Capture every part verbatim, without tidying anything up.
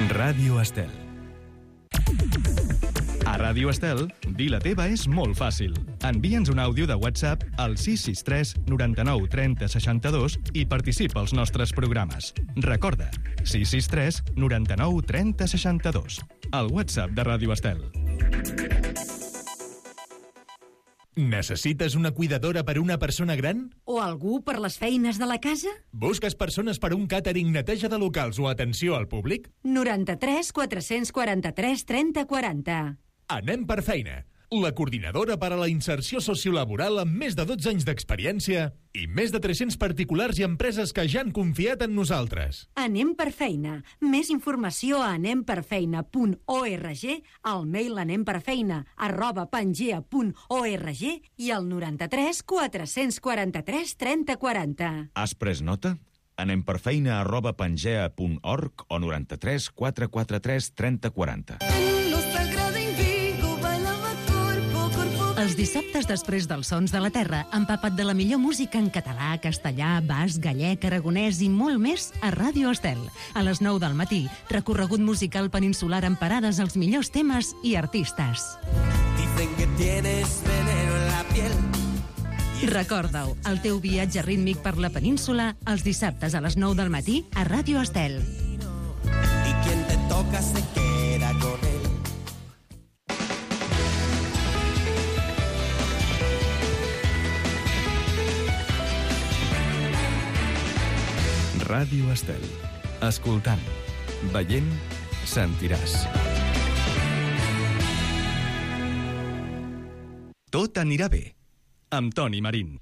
Ràdio Estel. A Ràdio Estel, dir la teva és molt fàcil. Envia'ns un àudio de WhatsApp al sis sis tres noranta-nou trenta seixanta-dos i participa als nostres programes. Recorda, sis sis tres noranta-nou trenta seixanta-dos. El WhatsApp de Ràdio Estel. Necessites una cuidadora per una persona gran? O algú per les feines de la casa? Busques persones per un càtering, neteja de locals o atenció al públic? noranta-tres quatre-cents quaranta-tres trenta quaranta. Anem per feina. La coordinadora per a la inserció sociolaboral amb més de dotze anys d'experiència i més de tres-cents particulars i empreses que ja han confiat en nosaltres. Anem per feina. Més informació a anem per feina punt org, al mail anemperfeina arroba pangea punt org i al noranta-tres quatre-cents quaranta-tres trenta quaranta. Has pres nota? Anem per feina arroba pangea punt org o noranta-tres quatre quaranta-tres trenta quaranta. Els dissabtes després dels Sons de la Terra, empapa't de la millor música en català, castellà, basc, gallec, aragonès i molt més a Ràdio Estel. A les nou del matí, recorregut musical peninsular amb parades als millors temes i artistes. Dicen que tienes veneno en la piel. Recorda-ho, el teu viatge rítmic per la península els dissabtes a les nou del matí a Ràdio Estel. Y quien te toca se queda con él. Ràdio Estel. Escoltant, veient, sentiràs. Tot anirà bé, amb Toni Marín.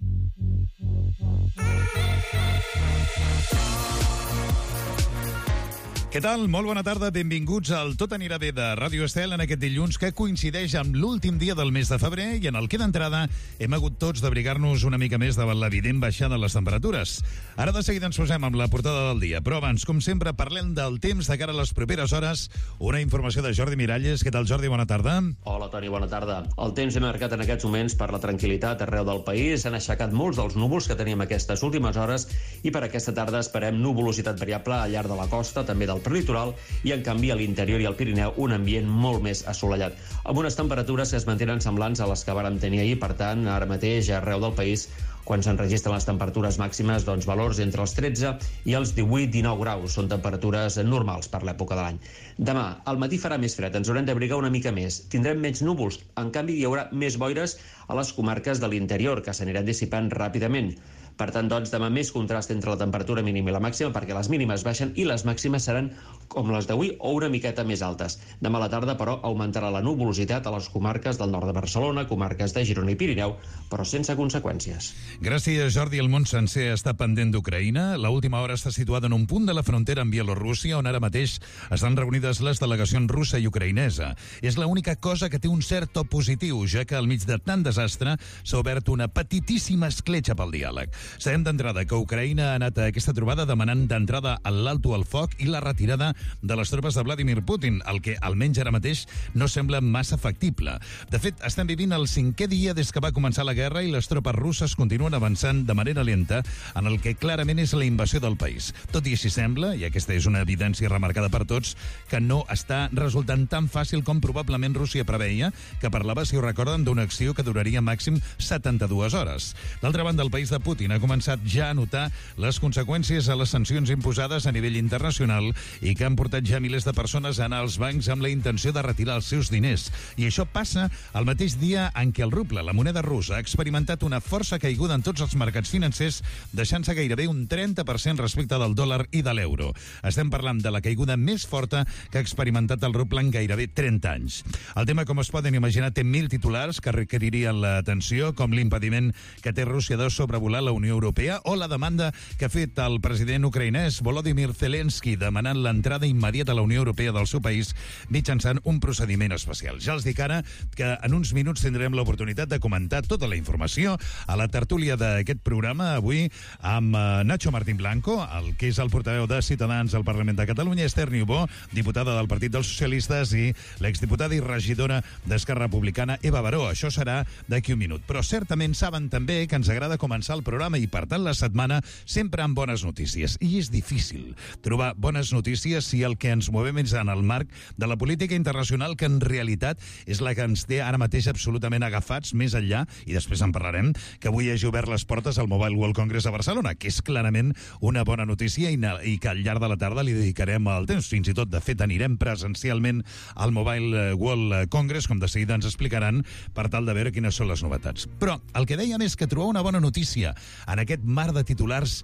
Què tal? Molt bona tarda, benvinguts al Tot anirà bé de Ràdio Estel en aquest dilluns que coincideix amb l'últim dia del mes de febrer i en el que d'entrada hem hagut tots d'abrigar-nos una mica més davant l'evident baixada de les temperatures. Ara de seguida ens posem amb la portada del dia, però abans, com sempre, parlem del temps de cara a les properes hores. Una informació de Jordi Miralles. Què tal, Jordi? Bona tarda. Hola, Toni, bona tarda. El temps hem marcat en aquests moments per la tranquil·litat arreu del país. S'han aixecat molts dels núvols que teníem aquestes últimes hores i per aquesta tarda esperem nuvolositat variable al llarg de la costa, també del prelitoral, i en canvi a l'interior i al Pirineu un ambient molt més assolellat, amb unes temperatures que es mantenen semblants a les que vàrem tenir ahir. Per tant, ara mateix arreu del país, quan s'enregistren les temperatures màximes, doncs valors entre els tretze i els divuit dinou graus. Són temperatures normals per l'època de l'any. Demà, al matí farà més fred, ens haurem d'abrigar una mica més. Tindrem menys núvols, en canvi hi haurà més boires a les comarques de l'interior, que s'aniran dissipant ràpidament. Per tant, doncs, demà més contrast entre la temperatura mínima i la màxima, perquè les mínimes baixen i les màximes seran com les d'avui o una miqueta més altes. Demà a la tarda, però, augmentarà la nuvolositat a les comarques del nord de Barcelona, comarques de Girona i Pirineu, però sense conseqüències. Gràcies, Jordi. El món sencer està pendent d'Ucraïna. L'última hora està situada en un punt de la frontera amb Bielorússia, on ara mateix estan reunides les delegacions russa i ucraïnesa. És l'única cosa que té un cert to positiu, ja que al mig de tant desastre s'ha obert una petitíssima escletxa pel diàleg. Sabem d'entrada que Ucraïna ha anat a aquesta trobada demanant d'entrada l'alto al foc i la retirada de les tropes de Vladimir Putin, el que almenys ara mateix no sembla massa factible. De fet, estem vivint el cinquè dia des que va començar la guerra i les tropes russes continuen avançant de manera lenta en el que clarament és la invasió del país. Tot i així sembla, i aquesta és una evidència remarcada per tots, que no està resultant tan fàcil com probablement Rússia preveia, que parlava, si ho recorden, d'una acció que duraria màxim setanta-dues hores. D'altra banda, el país de Putin ha començat ja a notar les conseqüències a les sancions imposades a nivell internacional i que han portat ja milers de persones a anar als bancs amb la intenció de retirar els seus diners. I això passa el mateix dia en què el ruble, la moneda russa, ha experimentat una força caiguda en tots els mercats financers, deixant-se gairebé un trenta per cent respecte del dòlar i de l'euro. Estem parlant de la caiguda més forta que ha experimentat el ruble en gairebé trenta anys. El tema, com es poden imaginar, té mil titulars que requeririen l'atenció, com l'impediment que té Rússia de sobrevolar la Unió Europea o la demanda que ha fet el president ucraïnès Volodymyr Zelensky demanant l'entrada immediata a la Unió Europea del seu país mitjançant un procediment especial. Ja els dic ara que en uns minuts tindrem l'oportunitat de comentar tota la informació a la tertúlia d'aquest programa avui amb Nacho Martín Blanco, el que és el portaveu de Ciutadans al Parlament de Catalunya, Esther Niubó, diputada del Partit dels Socialistes, i l'exdiputada i regidora d'Esquerra Republicana, Eva Baró. Això serà d'aquí un minut. Però certament saben també que ens agrada començar el programa programa i, per tant, la setmana sempre amb bones notícies. I és difícil trobar bones notícies si el que ens movem és en el marc de la política internacional, que en realitat és la que ens té ara mateix absolutament agafats més enllà, i després en parlarem, que avui hagi obert les portes al Mobile World Congress a Barcelona, que és clarament una bona notícia i, i que al llarg de la tarda li dedicarem el temps. Fins i tot, de fet, anirem presencialment al Mobile World Congress, com de seguida ens explicaran, per tal de veure quines són les novetats. Però el que dèiem és que trobar una bona notícia en aquest mar de titulars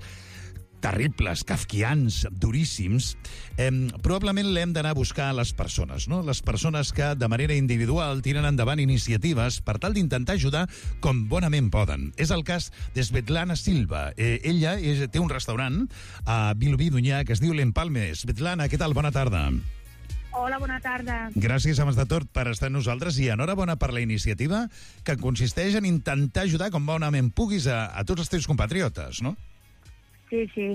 terribles, kafkians, duríssims, eh, probablement l'hem d'anar a buscar a les persones, no? Les persones que de manera individual tiren endavant iniciatives per tal d'intentar ajudar com bonament poden. És el cas de Svetlana Silva. Eh, ella és, té un restaurant a Vilobí d'Onyar que es diu l'Empalme. Svetlana, què tal? Bona tarda. Hola, bona tarda. Gràcies, abans de tot, per estar amb nosaltres i enhorabona per la iniciativa que consisteix en intentar ajudar com bonament puguis a, a tots els teus compatriotes, no? Sí, sí,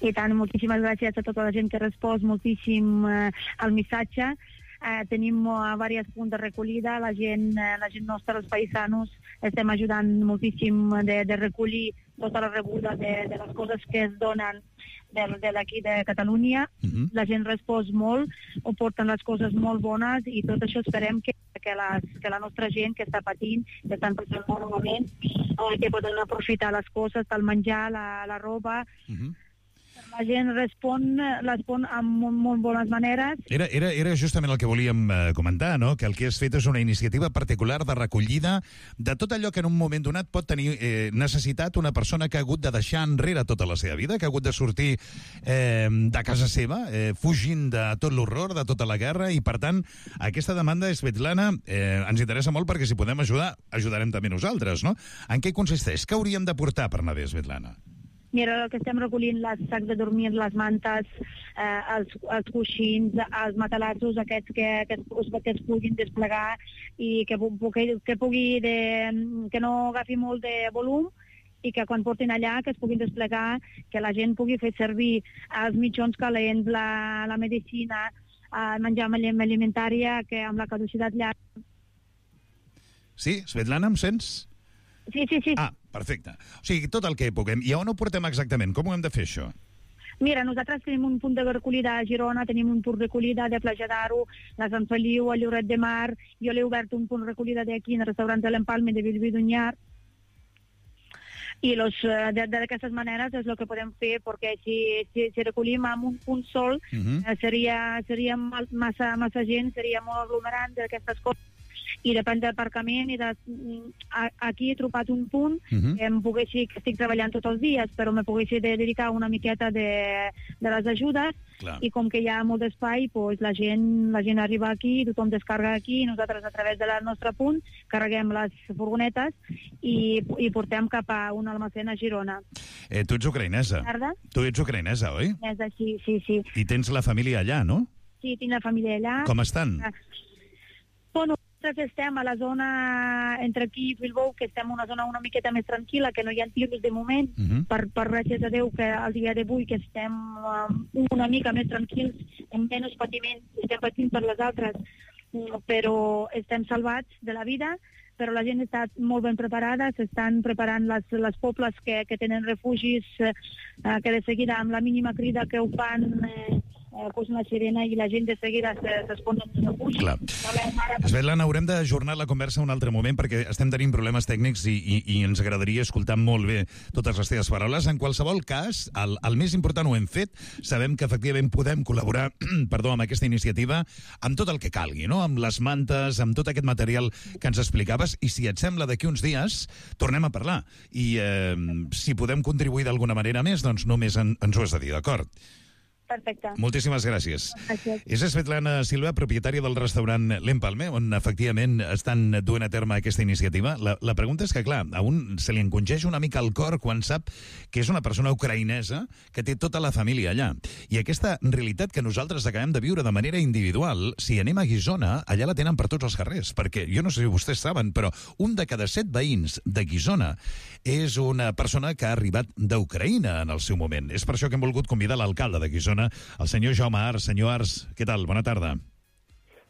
i tant, moltíssimes gràcies a tota la gent que ha respost moltíssim eh, al missatge. Eh, tenim eh, diversos punts de recollida, la gent, eh, la gent nostra, els paisanos, estem ajudant moltíssim de, de recollir tota la rebuda de, de les coses que es donen de, de d'aquí de Catalunya. Uh-huh. La gent respon molt, ho porten les coses molt bones i tot això esperem que, que, les, que la nostra gent que està patint, que estan passant molt malament, eh, que poden aprofitar les coses, el menjar, la, la roba. Uh-huh. La gent respon, respon amb molt, molt bones maneres. Era, era, era justament el que volíem eh, comentar, no? Que el que has fet és una iniciativa particular de recollida de tot allò que en un moment donat pot tenir eh, necessitat una persona que ha hagut de deixar enrere tota la seva vida, que ha hagut de sortir eh, de casa seva, eh, fugint de tot l'horror, de tota la guerra, i per tant, aquesta demanda, Svetlana, eh, ens interessa molt perquè si podem ajudar, ajudarem també nosaltres, no? En què consisteix? Què hauríem de portar per anar bé, Svetlana? Mira, el que estem recollint, les sacs de dormir, les mantes, eh, els, els coixins, els matalassos aquests que, que, es, que es puguin desplegar i que, que, que pugui de, que no agafi molt de volum i que quan portin allà que es puguin desplegar, que la gent pugui fer servir els mitjons calents, la, la medicina, el menjar alimentària, que amb la caducitat llarga. Sí, Svetlana, em sents? Sí, sí, sí. Ah, perfecte. O sigui, tot el que puguem. I on ho portem exactament? Com ho hem de fer, això? Mira, nosaltres tenim un punt de recollida a Girona, tenim un punt de recollida de Platja d'Aro, la Sant Feliu, a Lloret de Mar, jo l'he obert un punt de recollida d'aquí, en el restaurant de l'Empalme de Vilobí d'Onyar, i los, d'aquestes maneres és el que podem fer, perquè si, si, si recollim amb un punt sol, uh-huh. eh, seria, seria massa, massa gent, seria molt aglomerant d'aquestes coses, i depèn del aparcament i de, aquí he trobat un punt uh-huh. que em poguessi, que estic treballant tots els dies, però me poguessi de dedicar una miqueta de, de les ajudes. Clar. I com que hi ha molt d'espai, pues, la, gent, la gent arriba aquí, tothom descarga aquí, i nosaltres a través del nostre punt carreguem les furgonetes i, i portem cap a un almacén a Girona. Eh, tu ets ucraïnesa. Tarda? Tu ets ucraïnesa, oi? Sí, sí, sí. I tens la família allà, no? Sí, tinc la família allà. Com estan? Bueno, nosaltres estem a la zona entre aquí i Bilbao, que estem en una zona una miqueta més tranquil·la, que no hi ha tirs de moment, uh-huh. per, per gràcies a Déu que al dia d'avui que estem um, una mica més tranquils, amb menys patiment, estem patint per les altres, però estem salvats de la vida, però la gent està molt ben preparada, s'estan preparant les, les pobles que, que tenen refugis, eh, que de seguida amb la mínima crida que ho fan... Eh, Eh, posen la sirena i la gent de seguida s'esponen de refugi. Clar. Svetlana, haurem d'ajornar la conversa un altre moment perquè estem tenint problemes tècnics i, i, i ens agradaria escoltar molt bé totes les teves paraules. En qualsevol cas, el, el més important ho hem fet. Sabem que efectivament podem col·laborar perdó, amb aquesta iniciativa amb tot el que calgui, no? Amb les mantes, amb tot aquest material que ens explicaves, i si et sembla, d'aquí uns dies tornem a parlar. I eh, si podem contribuir d'alguna manera més, doncs només en, ens ho has de dir, d'acord? Perfecte. Moltíssimes gràcies. Gràcies. És Svetlana Silva, propietària del restaurant l'Empalme, on efectivament estan duent a terme aquesta iniciativa. La, la pregunta és que, clar, a un se li encongeix una mica el cor quan sap que és una persona ucraïnesa que té tota la família allà. I aquesta realitat que nosaltres acabem de viure de manera individual, si anem a Guissona, allà la tenen per tots els carrers, perquè jo no sé si vostès saben, però un de cada set veïns de Guissona és una persona que ha arribat d'Ucraïna en el seu moment. És per això que hem volgut convidar l'alcalde de Guissona, el senyor Jaume Ars. Senyor Ars, què tal? Bona tarda.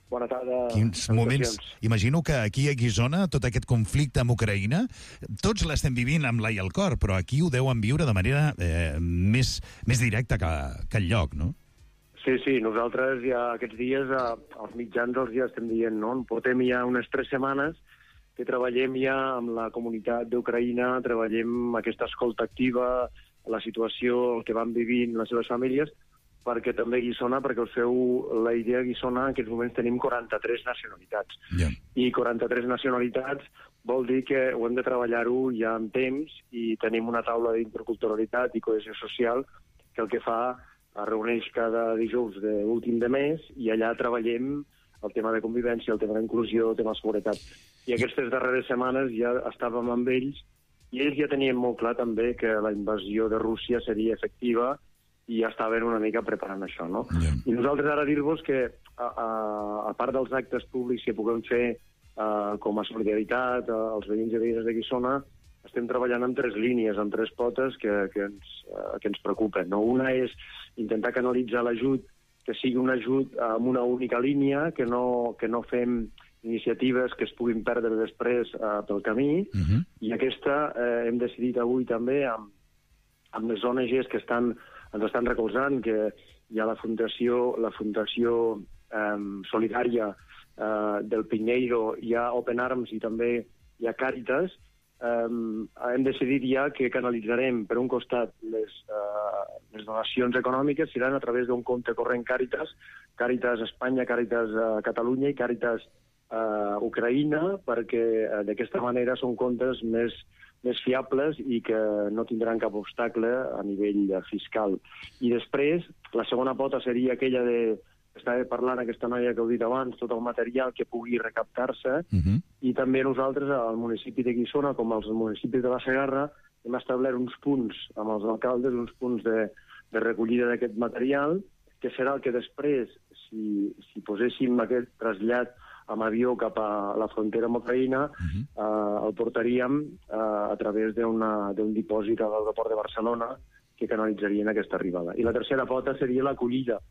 Bona tarda. Quins moments... Imagino que aquí a Guissona, tot aquest conflicte amb Ucraïna, tots l'estem vivint amb l'ai al cor, però aquí ho deuen viure de manera eh, més, més directa que, que enlloc, no? Sí, sí, nosaltres ja aquests dies, als mitjans els ja estem dient, no? Portem ja unes tres setmanes que treballem ja amb la comunitat d'Ucraïna, treballem aquesta escolta activa, la situació, el que van vivint les seves famílies, perquè també Guissona, perquè us feu la idea, Guissona, en aquests moments tenim quaranta-tres nacionalitats. Yeah. I quaranta-tres nacionalitats vol dir que ho hem de treballar-ho ja en temps i tenim una taula d'interculturalitat i cohesió social que el que fa es reuneix cada dijous de l'últim de mes i allà treballem el tema de convivència, el tema d'inclusió, el tema de seguretat. I aquestes darreres setmanes ja estàvem amb ells i ells ja tenien molt clar també que la invasió de Rússia seria efectiva i ja estaven una mica preparant això, no? Yeah. I nosaltres ara dir-vos que, a, a, a part dels actes públics que puguem fer uh, com a solidaritat uh, als veïns i veïnes de Guissona, estem treballant en tres línies, en tres potes que, que, ens, uh, que ens preocupen, no? Una és intentar canalitzar l'ajut, que sigui un ajut amb una única línia, que no, que no fem iniciatives que es puguin perdre després uh, pel camí, Uh-huh. i aquesta eh, hem decidit avui també amb, amb les O N Ges que estan ens estan recolzant, que hi ha la Fundació, la Fundació eh, Solidària eh, del Pinheiro, hi ha Open Arms i també hi ha Càritas. Eh, hem decidit ja que canalitzarem, per un costat, les, eh, les donacions econòmiques seran a través d'un compte corrent Càritas, Càritas Espanya, Càritas eh, Catalunya i Càritas eh, Ucraïna, perquè eh, d'aquesta manera són comptes més més fiables i que no tindran cap obstacle a nivell fiscal. I després, la segona pota seria aquella de... Estava parlant aquesta noia que heu dit abans, tot el material que pugui recaptar-se, Uh-huh. i també nosaltres, al municipi de Guissona, com als municipis de la Segarra, hem establert uns punts amb els alcaldes, uns punts de, de recollida d'aquest material, que serà el que després, si, si poséssim aquest trasllat amb avió cap a la frontera amb Ucraïna, uh-huh. eh, el portaríem eh, a través d'un dipòsit a l'aeroport de Barcelona que canalitzarien aquesta arribada. I la tercera pota seria l'acollida,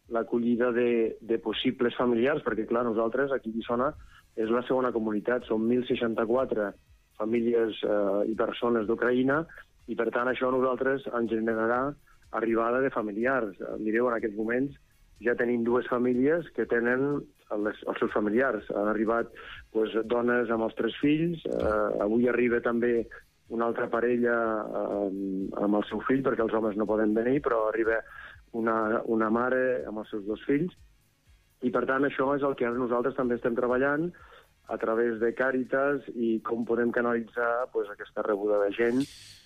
l'acollida de, de possibles familiars, perquè, clar, nosaltres, aquí a Guissona, és la segona comunitat, són mil seixanta-quatre famílies eh, i persones d'Ucraïna, i, per tant, això a nosaltres ens generarà arribada de familiars. Mireu, en aquests moments ja tenim dues famílies que tenen les, els seus familiars. Han arribat pues, dones amb els tres fills, eh, avui arriba també una altra parella eh, amb el seu fill, perquè els homes no poden venir, però arriba una, una mare amb els seus dos fills, i per tant això és el que nosaltres també estem treballant a través de Càritas i com podem canalitzar pues, aquesta rebuda de gent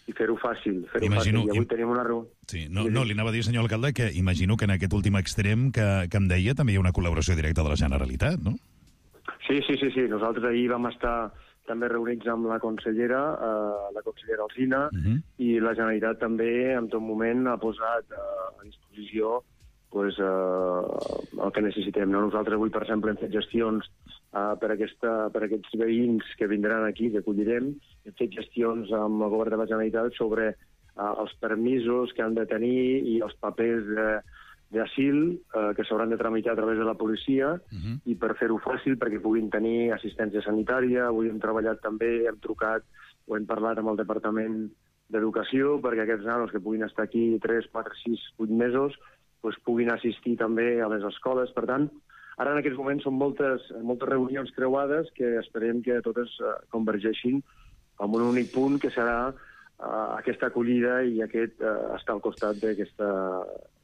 i fer-ho fàcil. Fer Imagino, fàcil. I avui im... tenim una reunió. Sí, no, no, li anava a dir, senyor alcalde, que imagino que en aquest últim extrem que, que em deia també hi ha una col·laboració directa de la Generalitat, no? Sí, sí, sí, sí. Nosaltres ahir vam estar també reunits amb la consellera, eh, la consellera Alsina, Uh-huh. i la Generalitat també en tot moment ha posat eh, a disposició pues, eh, el que necessitem. No? Nosaltres avui, per exemple, hem fet gestions eh, per, aquesta, per aquests veïns que vindran aquí, que acollirem. Hem fet gestions amb el govern de la Generalitat sobre eh, els permisos que han de tenir i els papers de, d'asil eh, que s'hauran de tramitar a través de la policia, Uh-huh. i per fer-ho fàcil perquè puguin tenir assistència sanitària. Avui hem treballat també, hem trucat o hem parlat amb el Departament d'Educació perquè aquests nanos que puguin estar aquí tres, quatre, sis, vuit mesos pues, puguin assistir també a les escoles. Per tant, ara en aquests moments són moltes, moltes reunions creuades que esperem que totes uh, convergeixin en un únic punt, que serà uh, aquesta acollida i aquest uh, estar al costat d'aquesta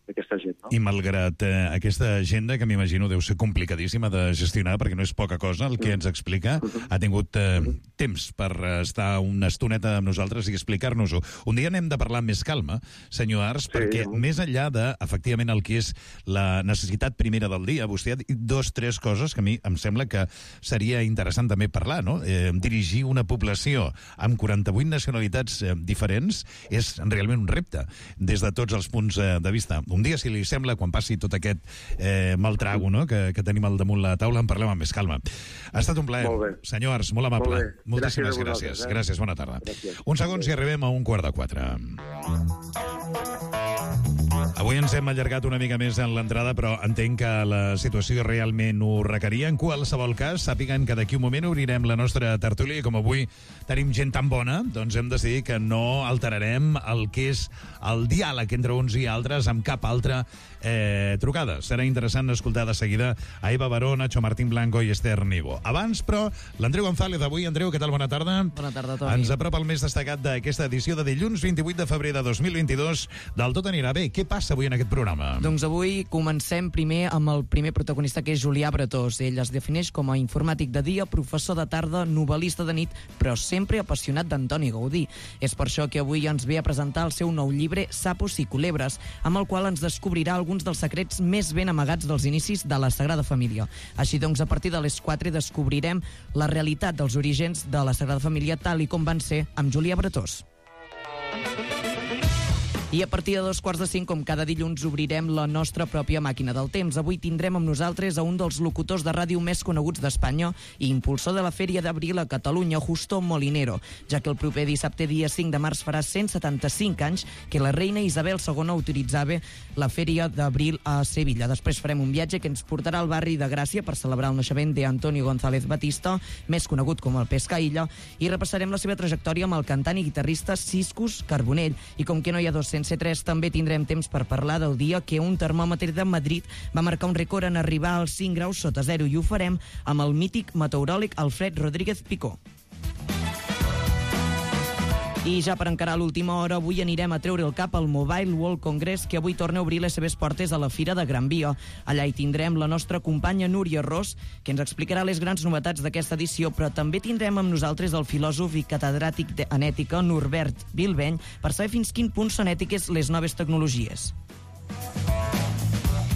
d'aquesta gent. No? I malgrat eh, aquesta agenda, que m'imagino deu ser complicadíssima de gestionar, perquè no és poca cosa el que ens explica, ha tingut eh, temps per estar una estoneta amb nosaltres i explicar-nos-ho. Un dia n'hem de parlar amb més calma, senyor Ars, sí, perquè sí. Més enllà de, efectivament, el que és la necessitat primera del dia, vostè ha dit dos, tres coses que a mi em sembla que seria interessant també parlar, no? Eh, dirigir una població amb quaranta-vuit nacionalitats eh, diferents és realment un repte, des de tots els punts eh, de vista. Un dia, si li sembla, quan passi tot aquest eh, mal trago, no?, que, que tenim al damunt la taula, en parlem amb més calma. Ha estat un plaer. Senyor Ars, molt amable. Molt Moltíssimes gràcies. Gràcies, eh? gràcies, bona tarda. Gràcies. Un segon si arribem a un quart de quatre. Avui ens hem allargat una mica més en l'entrada, però entenc que la situació realment ho requeria. En qualsevol cas, sàpiguen que d'aquí un moment obrirem la nostra tertúlia i com avui tenim gent tan bona, doncs hem decidit que no alterarem el que és el diàleg entre uns i altres amb cap altra eh, trucada. Serà interessant escoltar de seguida a Eva Baró, Nacho Martín Blanco i Esther Nibo. Abans, però, l'Andreu González avui. Andreu, què tal? Bona tarda. Bona tarda, Toni. Ens apropa el més destacat d'aquesta edició de dilluns vint-i-vuit de febrer de dos mil vint-i-dos del Tot anirà bé. Què passa avui en aquest programa? Doncs avui comencem primer amb el primer protagonista, que és Julià Bretós. Ell es defineix com a informàtic de dia, professor de tarda, novel·lista de nit, però sempre apassionat d'Antoni Gaudí. És per això que avui ens ve a presentar el seu nou llibre Sapos i Culebres, amb el qual ens descobrirà alguns dels secrets més ben amagats dels inicis de la Sagrada Família. Així doncs, a partir de les quatre descobrirem la realitat dels orígens de la Sagrada Família tal i com van ser amb Julià Bretós. I a partir de dos quarts de cinc, com cada dilluns, obrirem la nostra pròpia màquina del temps. Avui tindrem amb nosaltres a un dels locutors de ràdio més coneguts d'Espanya i impulsor de la Fèria d'Abril a Catalunya, Justo Molinero, ja que el proper dissabte, dia cinc de març, farà cent setanta-cinc anys que la reina Isabel segona autoritzava la Fèria d'Abril a Sevilla. Després farem un viatge que ens portarà al barri de Gràcia per celebrar el naixement d'Antonio González Batista, més conegut com el Pescaïlla, i repassarem la seva trajectòria amb el cantant i guitarrista Ciscus Carbonell. I com que no hi ha dos sense tres, també tindrem temps per parlar del dia que un termòmetre de Madrid va marcar un rècord en arribar als cinc graus sota zero, i ho farem amb el mític meteoròleg Alfred Rodríguez Picó. I ja per encarar l'última hora, avui anirem a treure el cap al Mobile World Congress, que avui torna a obrir les seves portes a la Fira de Gran Via. Allà hi tindrem la nostra companya Núria Ros, que ens explicarà les grans novetats d'aquesta edició, però també tindrem amb nosaltres el filòsof i catedràtic en ètica Norbert Bilbeny per saber fins quin punt són ètiques les noves tecnologies.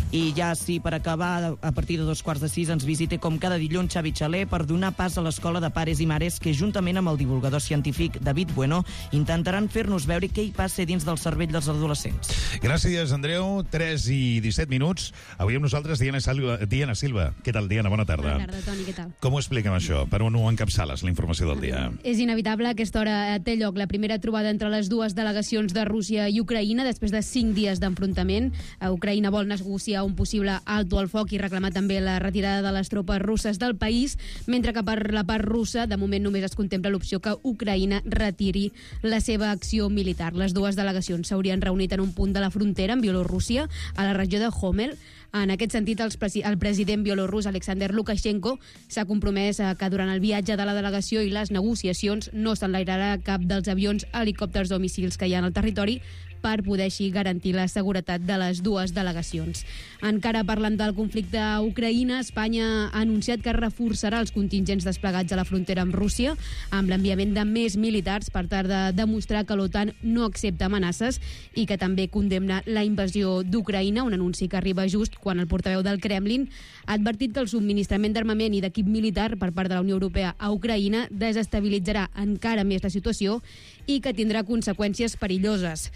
I ja sí, per acabar, a partir de dos quarts de sis ens visita com cada dilluns Xavi Xaler per donar pas a l'Escola de Pares i Mares que, juntament amb el divulgador científic David Bueno, intentaran fer-nos veure què hi passa dins del cervell dels adolescents. Gràcies, Andreu. tres i disset minuts. Avui amb nosaltres Diana Silva. Diana Silva. Què tal, Diana? Bona tarda. Bona tarda, Toni. Què tal? Com ho expliquem, això? Per on ho encapçales, la informació del dia? És inevitable. A aquesta hora té lloc la primera trobada entre les dues delegacions de Rússia i Ucraïna després de cinc dies d'enfrontament. Ucraïna vol negociar un possible alto al foc i reclamar també la retirada de les tropes russes del país, mentre que per la part russa, de moment només es contempla l'opció que Ucraïna retiri la seva acció militar. Les dues delegacions s'haurien reunit en un punt de la frontera amb Bielorússia, a la regió de Homel. En aquest sentit, el, presi el president bielorús Alexander Lukashenko s'ha compromès a que durant el viatge de la delegació i les negociacions no s'enlairarà cap dels avions, helicòpters o míssils que hi ha en el territori, per poder així garantir la seguretat de les dues delegacions. Encara parlant del conflicte a Ucraïna, Espanya ha anunciat que reforçarà els contingents desplegats a la frontera amb Rússia amb l'enviament de més militars per tal de demostrar que l'OTAN no accepta amenaces i que també condemna la invasió d'Ucraïna, un anunci que arriba just quan el portaveu del Kremlin ha advertit que el subministrament d'armament i d'equip militar per part de la Unió Europea a Ucraïna desestabilitzarà encara més la situació i que tindrà conseqüències perilloses.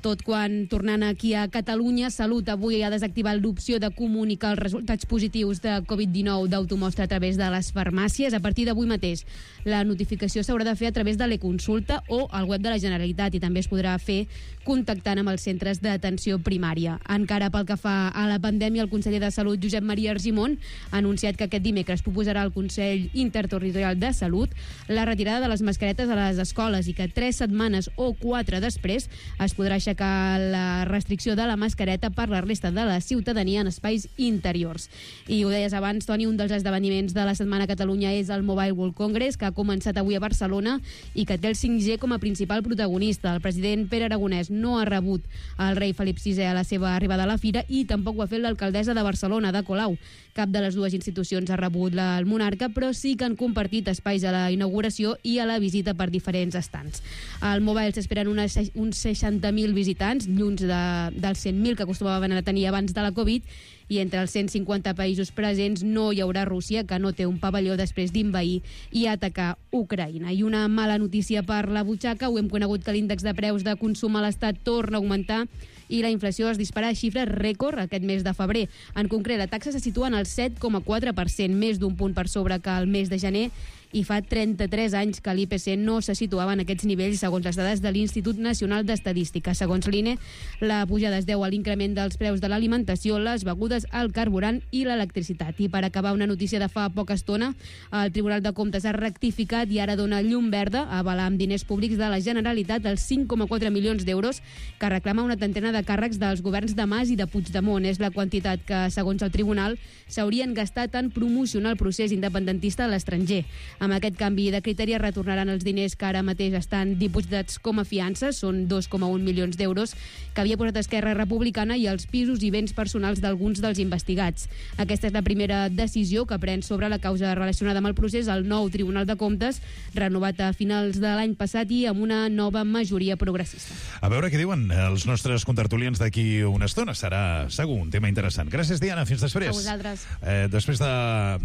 Tot quan, tornant aquí a Catalunya, Salut avui ha desactivat l'opció de comunicar els resultats positius de Covid dinou d'automostra a través de les farmàcies. A partir d'avui mateix, la notificació s'haurà de fer a través de l'e-consulta o al web de la Generalitat i també es podrà fer contactant amb els centres d'atenció primària. Encara pel que fa a la pandèmia, el conseller de Salut, Josep Maria Argimon, ha anunciat que aquest dimecres proposarà al Consell Interterritorial de Salut la retirada de les mascaretes a les escoles i que tres setmanes o quatre després es podrà aixecar la restricció de la mascareta per la resta de la ciutadania en espais interiors. I ho deies abans, Toni, un dels esdeveniments de la setmana a Catalunya és el Mobile World Congress, que ha començat avui a Barcelona i que té el cinc G com a principal protagonista. El president Pere Aragonès no ha rebut el rei Felip sisè a la seva arribada a la fira i tampoc ho ha fet l'alcaldessa de Barcelona, Ada Colau. Cap de les dues institucions ha rebut la, el monarca, però sí que han compartit espais a la inauguració i a la visita per diferents estants. Al Mobile s'esperen unes, uns seixanta mil visitants, lluny de, dels cent mil que acostumaven a tenir abans de la Covid, i entre els cent cinquanta països presents no hi haurà Rússia, que no té un pavelló després d'invair i atacar Ucraïna. I una mala notícia per la butxaca, ho hem conegut que l'índex de preus de consum a l'Estat torna a augmentar i la inflació es dispara a xifres rècord aquest mes de febrer. En concret, la taxa se situa en el set coma quatre per cent, més d'un punt per sobre que el mes de gener, i fa trenta-tres anys que l'I P C no se situava en aquests nivells segons les dades de l'Institut Nacional d'Estadística. Segons l'I N E, la pujada es deu a l'increment dels preus de l'alimentació, les begudes, el carburant i l'electricitat. I per acabar, una notícia de fa poca estona, el Tribunal de Comptes ha rectificat i ara dona llum verda a avalar amb diners públics de la Generalitat els cinc coma quatre milions d'euros que reclama una trentena de càrrecs dels governs de Mas i de Puigdemont. És la quantitat que, segons el tribunal, s'haurien gastat en promocionar el procés independentista a l'estranger. Amb aquest canvi de criteri retornaran els diners que ara mateix estan dipositats com a fiança, són dos coma un milions d'euros, que havia posat Esquerra Republicana, i els pisos i béns personals d'alguns dels investigats. Aquesta és la primera decisió que pren sobre la causa relacionada amb el procés el nou Tribunal de Comptes, renovat a finals de l'any passat i amb una nova majoria progressista. A veure què diuen els nostres contertulians d'aquí una estona. Serà segur un tema interessant. Gràcies, Diana. Fins després. A vosaltres. Eh, després de,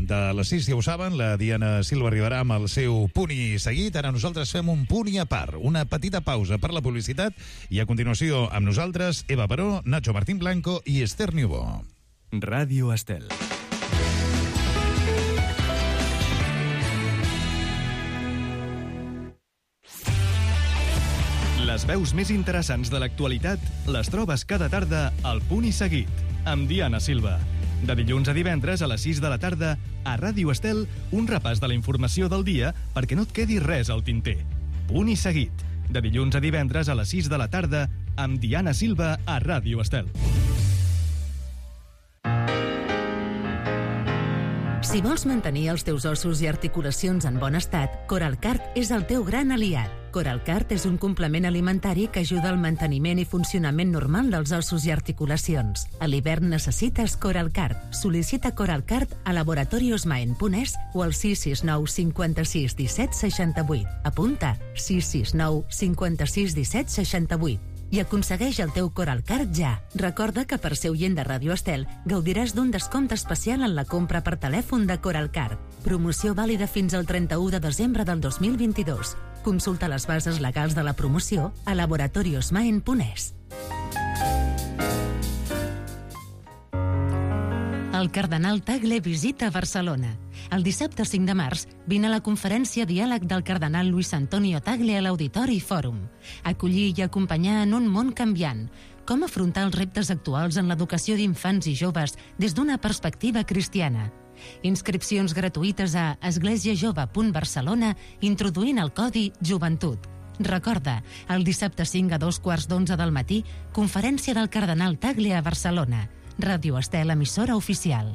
de les sis, ja ho saben, la Diana Silva arribarà amb el seu punt i seguit. Ara nosaltres fem un punt i a part, una petita pausa per la publicitat i a continuació amb nosaltres Eva Baró, Nacho Martín Blanco i Esther Niubó. Ràdio Estel. Les veus més interessants de l'actualitat les trobes cada tarda al Punt i Seguit, amb Diana Silva. De dilluns a divendres a les sis de la tarda, a Ràdio Estel, un repàs de la informació del dia perquè no et quedi res al tinter. Punt i Seguit, de dilluns a divendres a les sis de la tarda, amb Diana Silva a Ràdio Estel. Si vols mantenir els teus ossos i articulacions en bon estat, Coralcart és el teu gran aliat. Coralcart és un complement alimentari que ajuda al manteniment i funcionament normal dels ossos i articulacions. A l'hivern necessites Coralcart. Sol·licita Coralcart a laboratoriosmaen punt es o al sis sis nou cinquanta-sis disset seixanta-vuit. Apunta sis sis nou cinquanta-sis disset seixanta-vuit. I aconsegueix el teu Coralcart ja. Recorda que per ser oient de Ràdio Estel gaudiràs d'un descompte especial en la compra per telèfon de Coralcart. Promoció vàlida fins al trenta-u de desembre del dos mil vint-i-dos. Consulta les bases legals de la promoció a laboratoriosmaen punt es. El cardenal Tagle visita Barcelona. El dissabte cinc de març vine a la conferència Diàleg del cardenal Luis Antonio Tagle a l'Auditori Fòrum. Acollir i acompanyar en un món canviant. Com afrontar els reptes actuals en l'educació d'infants i joves des d'una perspectiva cristiana. Inscripcions gratuïtes a esglésiajove punt barcelona introduint el codi Joventut. Recorda, el dissabte cinc a dos quarts d'onze del matí, conferència del cardenal Tagle a Barcelona. Ràdio Estel, emissora oficial.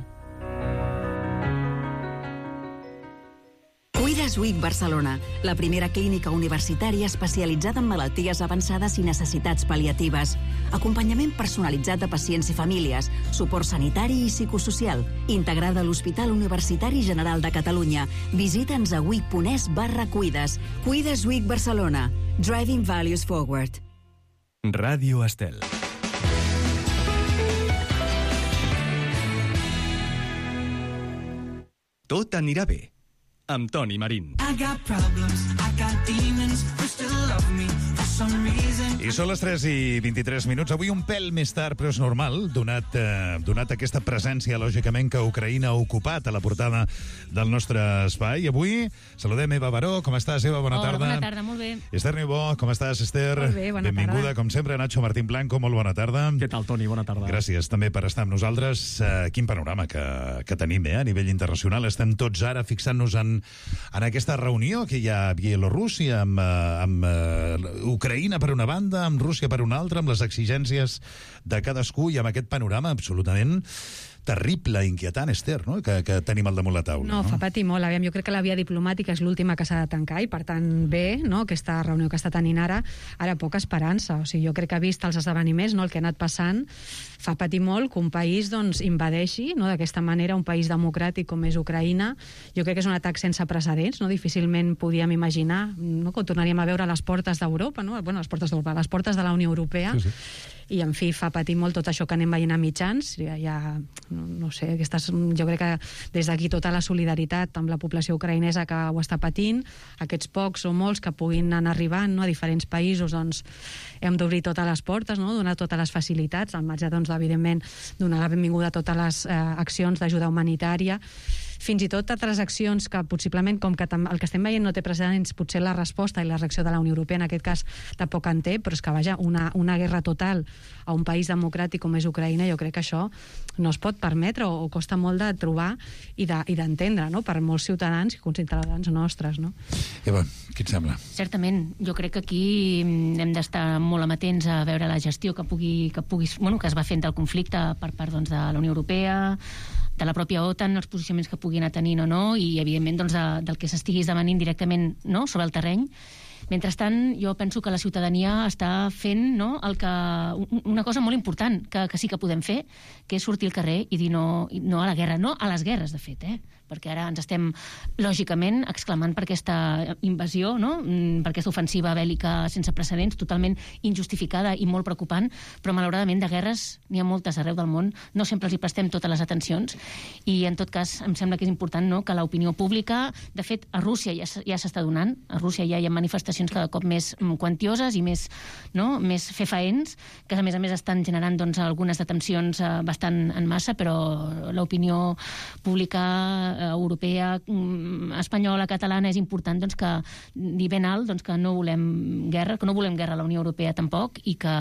Cuides Week Barcelona, la primera clínica universitària especialitzada en malalties avançades i necessitats pal·liatives. Acompanyament personalitzat de pacients i famílies, suport sanitari i psicosocial, integrada a l'Hospital Universitari General de Catalunya. Visita'ns a wic punt es barra cuides. Cuides Week Barcelona. Driving Values Forward. Ràdio Estel. Tot anirà bé, amb Toni Marín. I són les tres i vint-i-tres minuts. Avui un pèl més tard, però és normal, donat, eh, donat aquesta presència, lògicament, que Ucraïna ha ocupat a la portada del nostre espai. Avui saludem Eva Baró. Com estàs, Eva? Bona Hola, tarda. bona tarda, molt bé. Esther Niubó, com estàs, Esther? Molt bé, bona Benvinguda, tarda. com sempre, Nacho Martín Blanco, molt bona tarda. Què tal, Toni? Bona tarda. Gràcies també per estar amb nosaltres. Uh, quin panorama que, que tenim eh, a nivell internacional. Estem tots ara fixant-nos en, en aquesta reunió que hi ha a Bielorússia amb, uh, amb uh, Ucraïna per una banda, amb Rússia per una altra, amb les exigències de cadascú i amb aquest panorama absolutament terrible, inquietant, Esther, no? que, que tenim al damunt la taula. No, no, fa patir molt. Aviam, jo crec que la via diplomàtica és l'última que s'ha de tancar i, per tant, bé, no? Aquesta reunió que està tenint ara, ara poca esperança. O sigui, jo crec que vist els esdeveniments, no? El que ha anat passant, fa patir molt que un país doncs, invadeixi no? D'aquesta manera un país democràtic com és Ucraïna. Jo crec que és un atac sense precedents, no? Difícilment podíem imaginar no? Que ho tornaríem a veure a les portes d'Europa, no? Bueno, a les portes d'Europa, a les portes de la Unió Europea. Sí, sí. I, en fi, fa patir molt tot això que anem veient a mitjans. Ja, ja no, no sé, aquestes, jo crec que des d'aquí tota la solidaritat amb la població ucraïnesa que ho està patint, aquests pocs o molts que puguin anar arribant no, a diferents països, doncs hem d'obrir totes les portes, no, donar totes les facilitats, al marge, doncs, evidentment, donar la benvinguda a totes les eh, accions d'ajuda humanitària, fins i tot altres accions que possiblement, com que el que estem veient no té precedents, potser la resposta i la reacció de la Unió Europea en aquest cas tampoc en té, però és que, vaja, una, una guerra total a un país democràtic com és Ucraïna, jo crec que això no es pot permetre o, o costa molt de trobar i d'entendre, de, no?, per molts ciutadans i ciutadans nostres, no? Eva, què et sembla? Certament, jo crec que aquí hem d'estar molt amatents a veure la gestió que pugui, que pugui, bueno, que es va fent del conflicte per part, doncs, de la Unió Europea, de la pròpia OTAN, els posicionaments que puguin anar tenint o no, i evidentment doncs, de, del que s'estigui esdevenint directament, no?, sobre el terreny. Mentrestant, jo penso que la ciutadania està fent, no?, el que, una cosa molt important que, que sí que podem fer, que és sortir al carrer i dir no, no a la guerra, no a les guerres, de fet, eh? Perquè ara ens estem, lògicament, exclamant per aquesta invasió, no?, per aquesta ofensiva bèl·lica sense precedents, totalment injustificada i molt preocupant, però malauradament de guerres n'hi ha moltes arreu del món, no sempre els hi prestem totes les atencions, i en tot cas em sembla que és important, no?, que l'opinió pública, de fet, a Rússia ja, ja s'està donant, a Rússia ja hi ha manifestacions cada cop més quantioses i més, no?, més fefaents, que a més a més estan generant, doncs, algunes detencions eh, bastant en massa, però l'opinió pública europea, espanyola, catalana, és important, doncs, que dir ben alt, doncs, que no volem guerra, que no volem guerra a la Unió Europea tampoc, i que,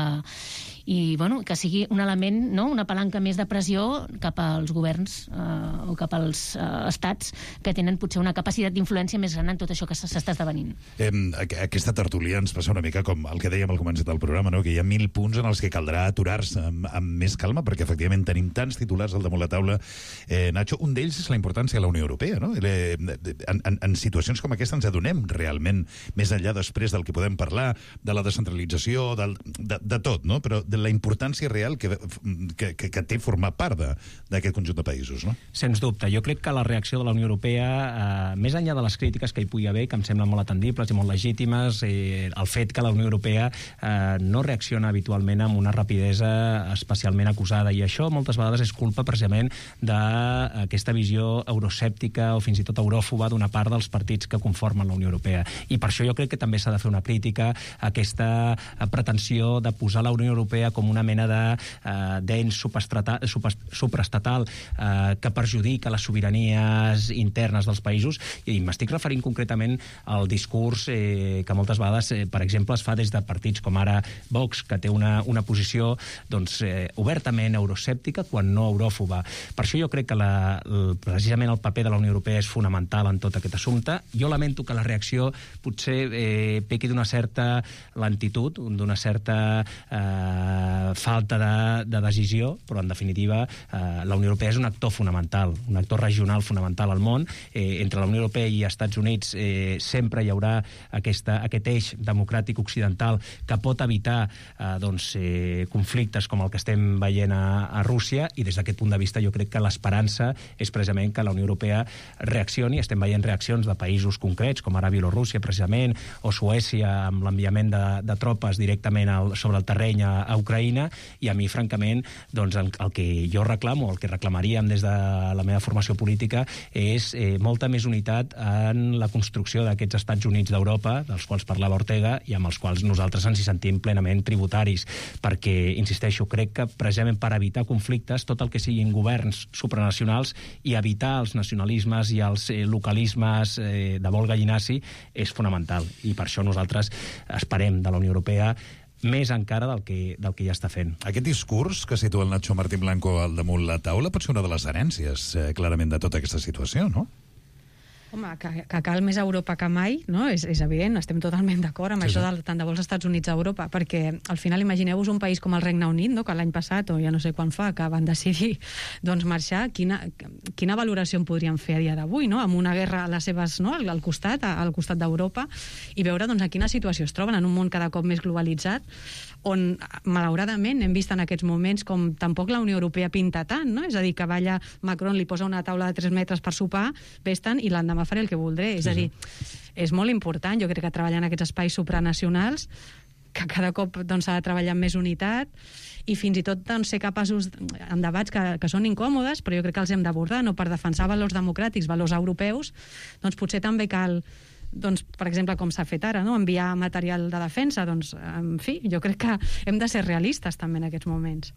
i, bueno, que sigui un element, no?, una palanca més de pressió cap als governs eh, o cap als eh, estats que tenen potser una capacitat d'influència més gran en tot això que s'està esdevenint. Eh, aquesta tertúlia ens passa una mica com el que dèiem al començament del programa, no?, que hi ha mil punts en els que caldrà aturar-se amb, amb més calma, perquè efectivament tenim tants titulars al damunt la taula. Eh, Nacho, un d'ells és la importància de la Unió Europea, no? En, en, en situacions com aquesta ens adonem realment, més enllà després del que podem parlar, de la descentralització, del, de, de tot, no?, però de la importància real que, que, que, que té formar part d'aquest conjunt de països, no? Sens dubte. Jo crec que la reacció de la Unió Europea, eh, més enllà de les crítiques que hi pugui haver, que em semblen molt atendibles i molt legítimes, eh, el fet que la Unió Europea eh, no reacciona habitualment amb una rapidesa especialment acusada, i això moltes vegades és culpa precisament d'aquesta visió euroscèptica o fins i tot euròfoba d'una part dels partits que conformen la Unió Europea. I per això jo crec que també s'ha de fer una crítica a aquesta pretensió de posar la Unió Europea com una mena de eh, d'ens supraestatal eh, que perjudica les sobiranies internes dels països, i m'estic referint concretament al discurs eh, que moltes vegades, eh, per exemple, es fa des de partits com ara Vox, que té una, una posició, doncs, eh, obertament euroscèptica quan no euròfoba. Per això jo crec que la, el, precisament el paper de la Unió Europea és fonamental en tot aquest assumpte. Jo lamento que la reacció potser eh, pequi d'una certa lentitud, d'una certa eh, falta de, de decisió, però en definitiva eh, la Unió Europea és un actor fonamental, un actor regional fonamental al món. Eh, entre la Unió Europea i Estats Units eh, sempre hi haurà aquesta, aquest eix democràtic occidental que pot evitar eh, doncs, eh, conflictes com el que estem veient a, a Rússia, i des d'aquest punt de vista jo crec que l'esperança és precisament que la Unió Europea reaccioni. Estem veient reaccions de països concrets, com ara Bielorússia, precisament, o Suècia, amb l'enviament de, de tropes directament al, sobre el terreny a, a Ucraïna, i a mi, francament, doncs, el, el que jo reclamo, el que reclamaríem des de la meva formació política, és eh, molta més unitat en la construcció d'aquests Estats Units d'Europa, dels quals parlava Ortega, i amb els quals nosaltres ens hi sentim plenament tributaris, perquè, insisteixo, crec que precisament per evitar conflictes, tot el que siguin governs supranacionals i evitar els nacionalismes i els eh, localismes eh, de vol gallinaci és fonamental, i per això nosaltres esperem de la Unió Europea més encara del que, del que ja està fent. Aquest discurs que situa el Nacho Martín Blanco al damunt la taula pot ser una de les herències, eh, clarament, de tota aquesta situació, no? Home, que, que cal més Europa que mai, no? És, és evident, estem totalment d'acord amb sí, això sí. De, tant de vols Estats Units a Europa, perquè al final imagineu-vos un país com el Regne Unit, no? Que l'any passat, o ja no sé quan fa, que van decidir doncs, marxar, quina, quina valoració en podríem fer a dia d'avui, no? Amb una guerra a les seves, no? al, al costat, al costat d'Europa, i veure doncs, en quina situació es troben en un món cada cop més globalitzat, on, malauradament, hem vist en aquests moments com tampoc la Unió Europea pinta tant, no? És a dir, que va allà Macron, li posa una taula de tres metres per sopar, vés-te'n, i l'endemà faré el que voldré. És sí, a dir, és molt important, jo crec que treballar en aquests espais supranacionals, que cada cop doncs, s'ha de treballar amb més unitat, i fins i tot doncs, ser capaços en debats que, que són incòmodes, però jo crec que els hem d'abordar, no? Per defensar valors democràtics, valors europeus, doncs potser també cal doncs, per exemple, com s'ha fet ara, no? Enviar material de defensa, doncs, en fi, jo crec que hem de ser realistes també en aquests moments.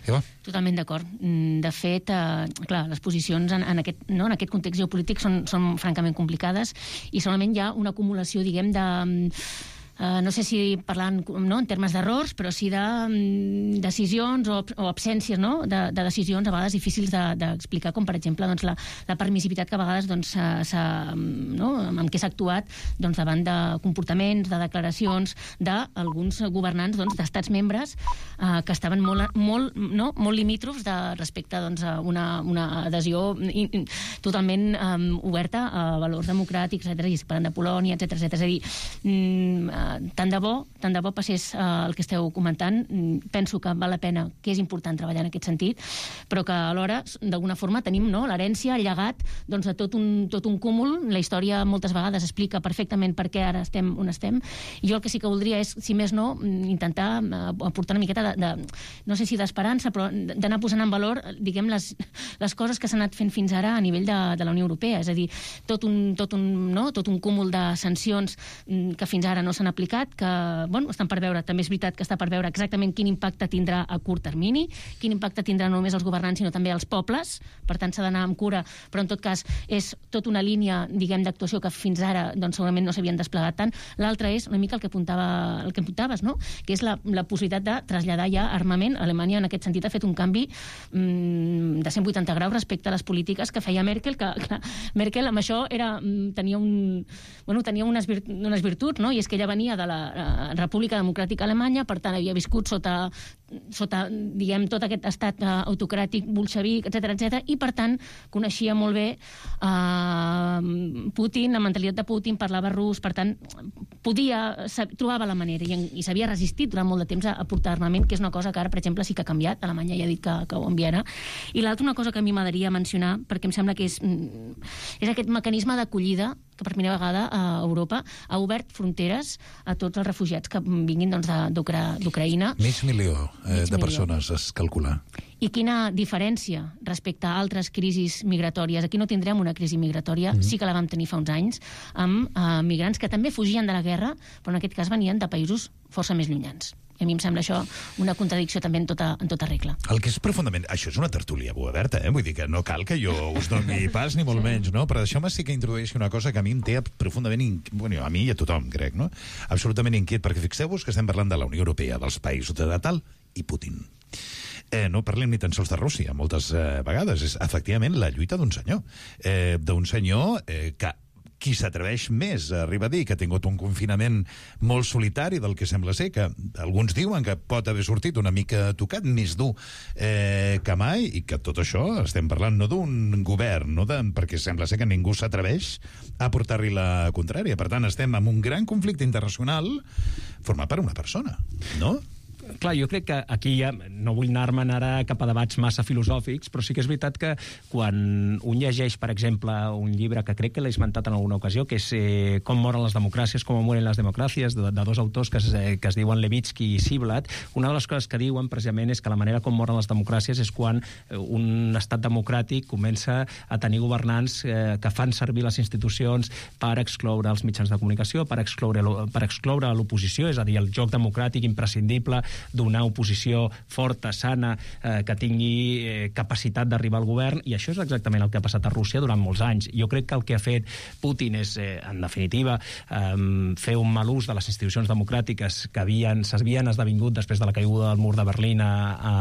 Eva? Totalment d'acord. De fet, eh, clar, les posicions en, en, aquest, no, en aquest context geopolític són, són francament complicades i solament hi ha una acumulació, diguem, de... Uh, no sé si parlant no, en termes d'errors, però sí de um, decisions o, o absències no, de, de decisions a vegades difícils d'explicar, de, com per exemple doncs, la, la permissivitat que a vegades doncs, no, amb què s'ha actuat doncs, davant de comportaments, de declaracions d'alguns governants doncs, d'estats membres uh, que estaven molt, molt, no, molt limítrofs de, respecte doncs, a una, una adhesió in, in, totalment um, oberta a valors democràtics, etcètera, i es parlen de Polònia, etcètera, etcètera. És a dir, mm, tant de bo, tant de bo passés uh, el que esteu comentant. Penso que val la pena, que és important treballar en aquest sentit, però que alhora, d'alguna forma, tenim no, l'herència, el llegat doncs, de tot un, tot un cúmul. La història moltes vegades explica perfectament per què ara estem on estem. I jo el que sí que voldria és, si més no, intentar aportar una miqueta de, de no sé si d'esperança, però d'anar posant en valor, diguem, les, les coses que s'han anat fent fins ara a nivell de, de la Unió Europea. És a dir, tot un, tot un, no, tot un cúmul de sancions que fins ara no s'han aplicat, que bueno, estan per veure, també és veritat que està per veure exactament quin impacte tindrà a curt termini, quin impacte tindrà no només els governants, sinó també els pobles, per tant s'ha d'anar amb cura, però en tot cas és tota una línia, diguem, d'actuació que fins ara doncs, segurament no s'havien desplegat tant. L'altra és una mica el que apuntava, el que apuntaves, no? Que és la, la possibilitat de traslladar ja armament. Alemanya en aquest sentit ha fet un canvi mmm, de cent vuitanta graus respecte a les polítiques que feia Merkel, que clar, Merkel amb això era, tenia, un, bueno, tenia unes, virt, unes virtuts, no? I és que ella venia de la República Democràtica Alemanya, per tant havia viscut sota, sota diguem, tot aquest estat uh, autocràtic, bolxevic, etcètera, etcètera, i per tant coneixia molt bé uh, Putin, la mentalitat de Putin, parlava rus, per tant podia, trobava la manera i, i s'havia resistit durant molt de temps a, a portar armament, que és una cosa que ara, per exemple, sí que ha canviat. Alemanya ja ha dit que, que ho enviarà. I l'altra, una cosa que a mi m'agradaria mencionar, perquè em sembla que és, és aquest mecanisme d'acollida que per primera vegada a Europa ha obert fronteres a tots els refugiats que vinguin doncs, d'Ucraïna. Mig milió eh, Mig de milió. persones es calcula. I quina diferència respecte a altres crisis migratòries. Aquí no tindrem una crisi migratòria, mm-hmm. sí que la vam tenir fa uns anys, amb eh, migrants que també fugien de la guerra, però en aquest cas venien de països força més llunyans. I a mi em sembla això una contradicció també en tota, en tota regla. El que és profundament... Això és una tertúlia oberta, eh? Vull dir que no cal que jo us doni pas, ni molt sí. menys, no? Però deixeu-me sí que introdueixi una cosa que a mi em té profundament... In... Bueno, a mi i a tothom, crec, no? Absolutament inquiet, perquè fixeu-vos que estem parlant de la Unió Europea, dels països de tal i Putin. Eh, no parlem ni tan sols de Rússia, moltes eh, vegades. És, efectivament, la lluita d'un senyor. Eh, d'un senyor eh, que qui s'atreveix més a arribar a dir que ha tingut un confinament molt solitari del que sembla ser, que alguns diuen que pot haver sortit una mica tocat, més dur eh, que mai, i que tot això estem parlant no d'un govern, no de, perquè sembla ser que ningú s'atreveix a portar-li la contrària. Per tant, estem en un gran conflicte internacional format per una persona, no? Clar, jo crec que aquí ja no vull anar-me'n ara cap a debats massa filosòfics, però sí que és veritat que quan un llegeix, per exemple, un llibre que crec que l'he esmentat en alguna ocasió, que és eh, Com moren les democràcies, com mueren les democràcies, de, de dos autors que es, eh, que es diuen Levitsky i Ziblatt, una de les coses que diuen precisament és que la manera com moren les democràcies és quan un estat democràtic comença a tenir governants eh, que fan servir les institucions per excloure els mitjans de comunicació, per excloure, per excloure l'oposició, és a dir, el joc democràtic imprescindible d'una oposició forta, sana, eh, que tingui eh, capacitat d'arribar al govern, i això és exactament el que ha passat a Rússia durant molts anys. Jo crec que el que ha fet Putin és, eh, en definitiva, eh, fer un mal ús de les institucions democràtiques que havien, s'havien esdevingut després de la caiguda del mur de Berlín a, a,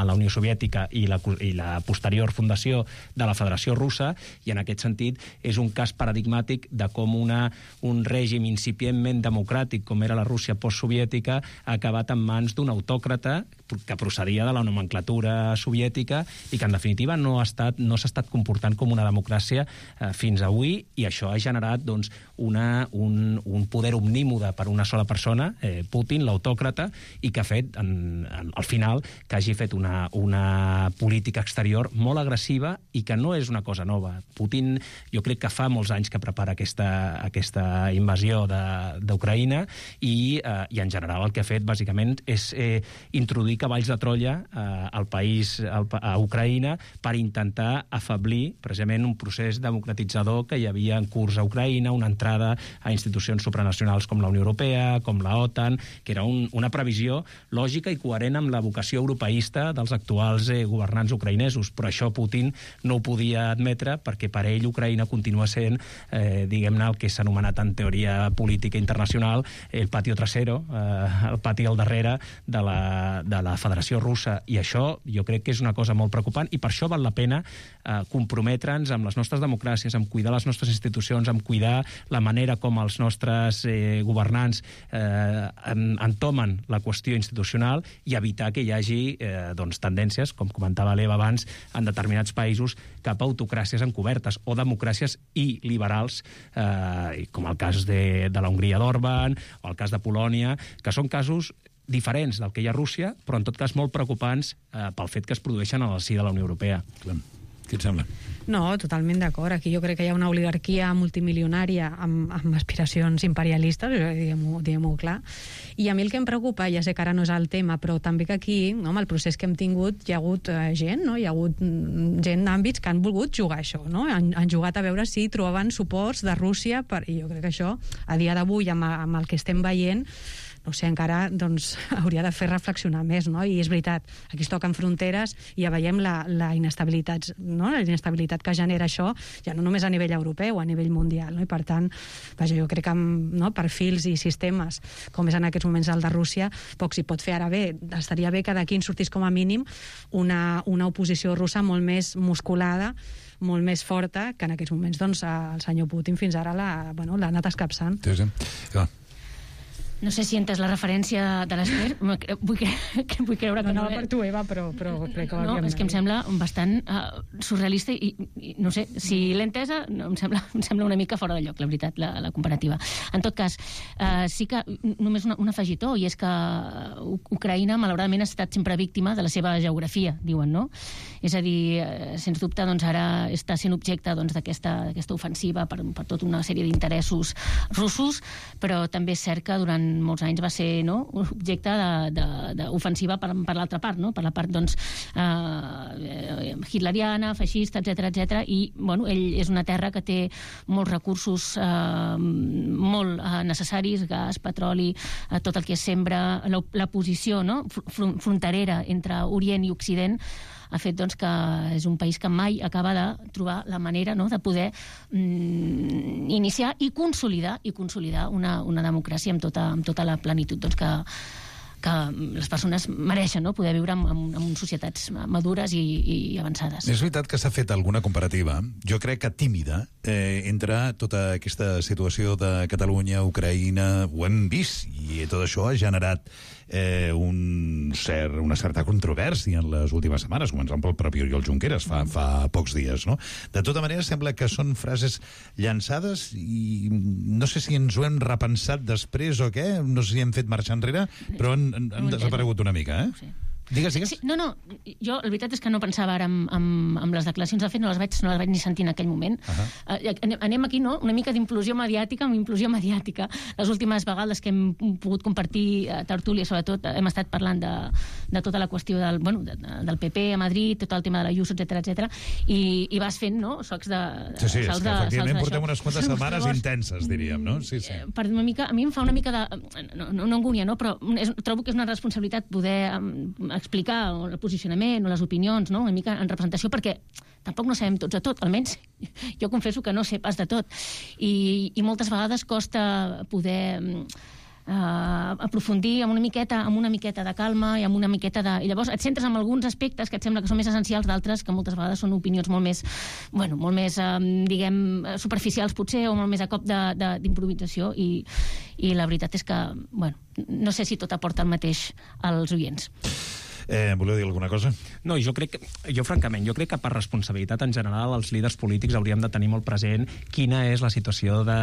a la Unió Soviètica i la, i la posterior fundació de la Federació Russa, i en aquest sentit és un cas paradigmàtic de com una, un règim incipientment democràtic com era la Rússia postsoviètica ha acabat en mans d'un autòcrata que procedia de la nomenclatura soviètica i que, en definitiva, no ha estat, no s'ha estat comportant com una democràcia eh, fins avui, i això ha generat doncs, una, un, un poder omnímode per una sola persona, eh, Putin, l'autòcrata, i que ha fet, en, en, al final, que hagi fet una, una política exterior molt agressiva i que no és una cosa nova. Putin, jo crec que fa molts anys que prepara aquesta, aquesta invasió d'Ucraïna i, eh, i, en general, el que ha fet, bàsicament, és eh, introduir enviar cavalls de Troia eh, al país, al, a Ucraïna, per intentar afeblir precisament un procés democratitzador que hi havia en curs a Ucraïna, una entrada a institucions supranacionals com la Unió Europea, com la OTAN, que era un, una previsió lògica i coherent amb la vocació europeista dels actuals eh, governants ucraïnesos. Però això Putin no ho podia admetre perquè per ell Ucraïna continua sent, eh, diguem-ne, el que s'ha anomenat en teoria política internacional el patio trasero, eh, el pati al darrere de la, de la Federació Russa. I això jo crec que és una cosa molt preocupant i per això val la pena eh, comprometre'ns amb les nostres democràcies, amb cuidar les nostres institucions, amb cuidar la manera com els nostres eh, governants eh, entomen la qüestió institucional i evitar que hi hagi eh, doncs, tendències, com comentava l'Eva abans, en determinats països cap a autocràcies encobertes o democràcies i liberals, eh, com el cas de, de la Hongria d'Orban o el cas de Polònia, que són casos diferents del que hi ha a Rússia, però en tot cas molt preocupants eh, pel fet que es produeixen a la si de la Unió Europea. Clar. Què et sembla? No, totalment d'acord. Aquí jo crec que hi ha una oligarquia multimilionària amb, amb aspiracions imperialistes, diguem-ho diguem-ho clar. I a mi el que em preocupa, ja sé que ara no és el tema, però també que aquí, no, amb el procés que hem tingut, hi ha hagut eh, gent, no? Hi ha hagut gent d'àmbits que han volgut jugar això, no? Han, han jugat a veure si trobaven suports de Rússia, per, i jo crec que això, a dia d'avui, amb, amb el que estem veient, no sé, encara doncs, hauria de fer reflexionar més, no? I és veritat, aquí es toquen fronteres i ja veiem la, la inestabilitat, no? La inestabilitat que genera això, ja no només a nivell europeu, a nivell mundial, no? I per tant, vaja, jo crec que amb no, perfils i sistemes, com és en aquests moments el de Rússia, poc s'hi pot fer. Ara bé, estaria bé que d'aquí en sortís com a mínim una, una oposició russa molt més musculada, molt més forta, que en aquests moments doncs, el senyor Putin fins ara l'ha bueno, l'ha anat escapçant. Sí, sí. Clar. No sé si entes la referència de l'Ester, vull, cre vull creure que no... No, no per tu, Eva, però, però crec que... No, és que em sembla bastant uh, surrealista i, i no sé, si l'he entesa, no, em, sembla, em sembla una mica fora de lloc, la veritat, la, la comparativa. En tot cas, uh, sí que només una, un afegitó, i és que Ucraïna, malauradament, ha estat sempre víctima de la seva geografia, diuen, no? És a dir, uh, sens dubte, doncs, ara està sent objecte d'aquesta doncs, ofensiva per, per tota una sèrie d'interessos russos, però també és cert que durant molts anys va ser no, objecte d'ofensiva per, per l'altra part, no? Per la part doncs, eh, hitleriana, feixista, etcètera, etcètera. I bueno, ell és una terra que té molts recursos eh, molt eh, necessaris, gas, petroli, eh, tot el que es sembra, la, la posició no? Fr fronterera entre Orient i Occident ha fet doncs, que és un país que mai acaba de trobar la manera no, de poder mm, iniciar i consolidar i consolidar una, una democràcia amb tota, amb tota la plenitud doncs, que, que les persones mereixen no? Poder viure en, en, en societats madures i, i avançades. És veritat que s'ha fet alguna comparativa, jo crec que tímida, eh, entre tota aquesta situació de Catalunya, Ucraïna, ho hem vist, i tot això ha generat eh, un cert, una certa controvèrsia en les últimes setmanes, començant pel propi Oriol Junqueras fa, fa pocs dies, no? De tota manera, sembla que són frases llançades i no sé si ens ho hem repensat després o què, no sé si hem fet marxar enrere, però han, han, han desaparegut una mica, eh? Sí. Digues, digues. Sí, no, no, jo la veritat és que no pensava ara amb, amb, amb les declaracions, de fet no les vaig, no les vaig ni sentir en aquell moment. Uh -huh. uh, anem, anem aquí, no?, una mica d'implosió mediàtica, amb implosió mediàtica. Les últimes vegades que hem pogut compartir uh, tertúlia, sobretot, uh, hem estat parlant de, de tota la qüestió del, bueno, de, del P P a Madrid, tot el tema de la Ius, etcètera, etcètera, i, i vas fent, no?, socs de... Sí, sí, és que efectivament portem unes quantes setmanes Llavors, intenses, diríem, no? Sí, sí. Per una mica, a mi em fa una mica de... No, no, no angúnia, no?, però és, trobo que és una responsabilitat poder um, explicar el posicionament o les opinions, no?, una mica en representació, perquè tampoc no sabem tots de tot, almenys jo confesso que no sé pas de tot, i, i moltes vegades costa poder eh, aprofundir amb una miqueta amb una miqueta de calma i amb una miqueta de... I llavors et centres en alguns aspectes que et sembla que són més essencials, d'altres que moltes vegades són opinions molt més, bueno, molt més, eh, diguem, superficials potser, o molt més a cop d'improvisació, i, i la veritat és que, bueno, no sé si tot aporta el mateix als oients. Eh, voleu dir alguna cosa? No, jo crec que, jo francament, jo crec que per responsabilitat en general els líders polítics hauríem de tenir molt present quina és la situació de,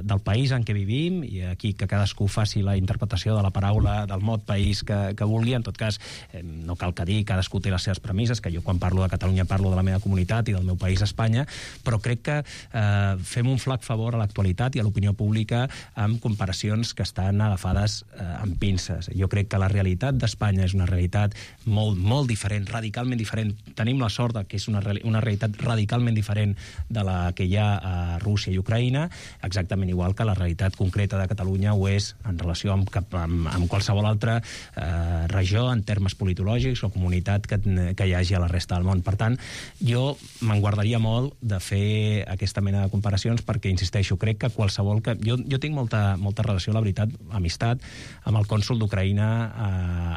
del país en què vivim, i aquí que cadascú faci la interpretació de la paraula, del mot país que, que vulgui. En tot cas, eh, no cal que dir, cadascú té les seves premisses, que jo quan parlo de Catalunya parlo de la meva comunitat i del meu país, Espanya, però crec que eh, fem un flac favor a l'actualitat i a l'opinió pública amb comparacions que estan agafades eh, amb pinces. Jo crec que la realitat d'Espanya és una realitat molt, molt diferent, radicalment diferent. Tenim la sort que és una, una realitat radicalment diferent de la que hi ha a Rússia i Ucraïna, exactament igual que la realitat concreta de Catalunya ho és en relació amb, amb, amb qualsevol altra eh, regió en termes politològics o comunitat que, que hi hagi a la resta del món. Per tant, jo me'n guardaria molt de fer aquesta mena de comparacions perquè, insisteixo, crec que qualsevol... Que... Jo, jo tinc molta, molta relació, la veritat, amistat, amb el cònsol d'Ucraïna a,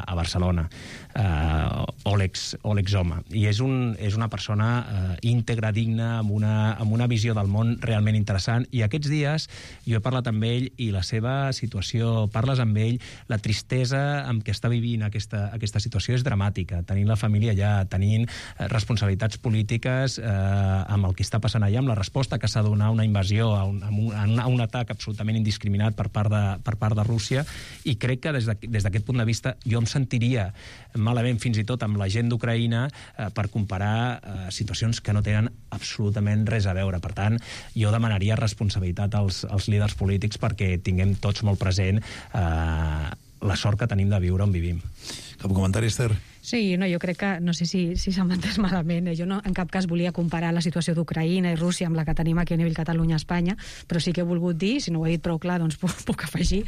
a Barcelona, uh, Oleg, Oleg Zoma, i és, un, és una persona uh, íntegra, digna, amb una, amb una visió del món realment interessant, i aquests dies jo he parlat amb ell i la seva situació, parles amb ell, la tristesa amb què està vivint aquesta, aquesta situació és dramàtica, tenint la família allà, tenint uh, responsabilitats polítiques eh, amb el que està passant allà, amb la resposta que s'ha de donar a una invasió, a un, a un, a un atac absolutament indiscriminat per part de, per part de Rússia, i crec que des d'aquest punt de vista jo em sentiria malament fins i tot amb la gent d'Ucraïna eh, per comparar eh, situacions que no tenen absolutament res a veure. Per tant, jo demanaria responsabilitat als, als líders polítics perquè tinguem tots molt present eh, la sort que tenim de viure on vivim. Cap comentari, Esther? Sí, no, jo crec que, no sé si, si s'ha entès malament, eh? Jo no, en cap cas volia comparar la situació d'Ucraïna i Rússia amb la que tenim aquí a nivell Catalunya-Espanya, però sí que he volgut dir, si no ho he dit prou clar, doncs puc, puc afegir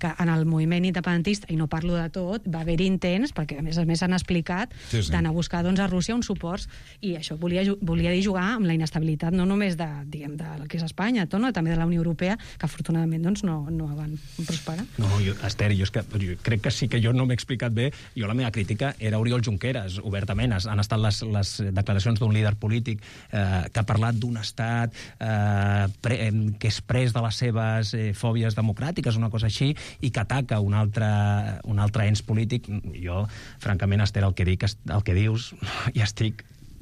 que en el moviment independentista, i no parlo de tot, va haver-hi intents, perquè a més a més s'han explicat, sí, sí. d'anar a buscar doncs, a Rússia uns suports, i això volia, volia dir jugar amb la inestabilitat no només de, diguem, del que és Espanya, tot, no? També de la Unió Europea, que afortunadament doncs, no, no van prosperar. No, jo, Esther, jo, és que, jo crec que sí que jo no m'he explicat bé. Jo la meva crítica era Oriol Junqueras, obertament. Han estat les, les declaracions d'un líder polític eh, que ha parlat d'un estat eh, pre, que és pres de les seves eh, fòbies democràtiques, una cosa així, i que ataca un altre, un altre ens polític. Jo, francament, Esther, el que, dic, el que dius, ja estic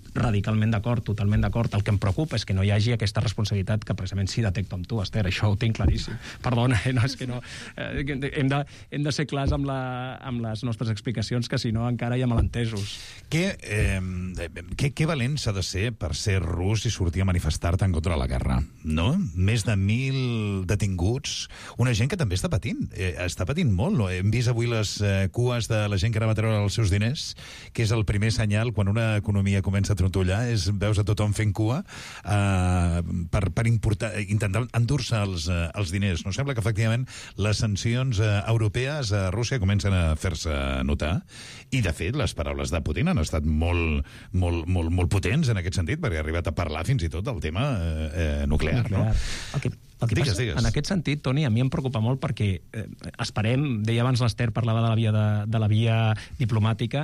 radicalment d'acord, totalment d'acord. El que em preocupa és que no hi hagi aquesta responsabilitat que precisament sí detecto amb tu, Esther, això ho tinc claríssim. Perdona, eh? No, és que no... Eh, hem, de, hem de ser clars amb, la, amb les nostres explicacions, que si no encara hi ha malentesos. Què, eh, què, què valent s'ha de ser per ser rus i sortir a manifestar-te en contra de la guerra, no? Més de mil detinguts, una gent que també està patint, eh, està patint molt, no? Hem vist avui les eh, cues de la gent que anava a treure els seus diners, que és el primer senyal quan una economia comença a trontollar, és, veus a tothom fent cua eh, per, per importar, intentar endur-se els, eh, els diners. No sembla que efectivament les sancions eh, europees a Rússia comencen a fer-se notar, i de fet les paraules de Putin han estat molt, molt, molt, molt potents en aquest sentit, perquè ha arribat a parlar fins i tot del tema eh, nuclear, nuclear. No? El que El que digues, passa, digues. En aquest sentit, Toni, a mi em preocupa molt perquè eh, esperem, deia abans l'Esther, parlava de la via, de, de la via diplomàtica,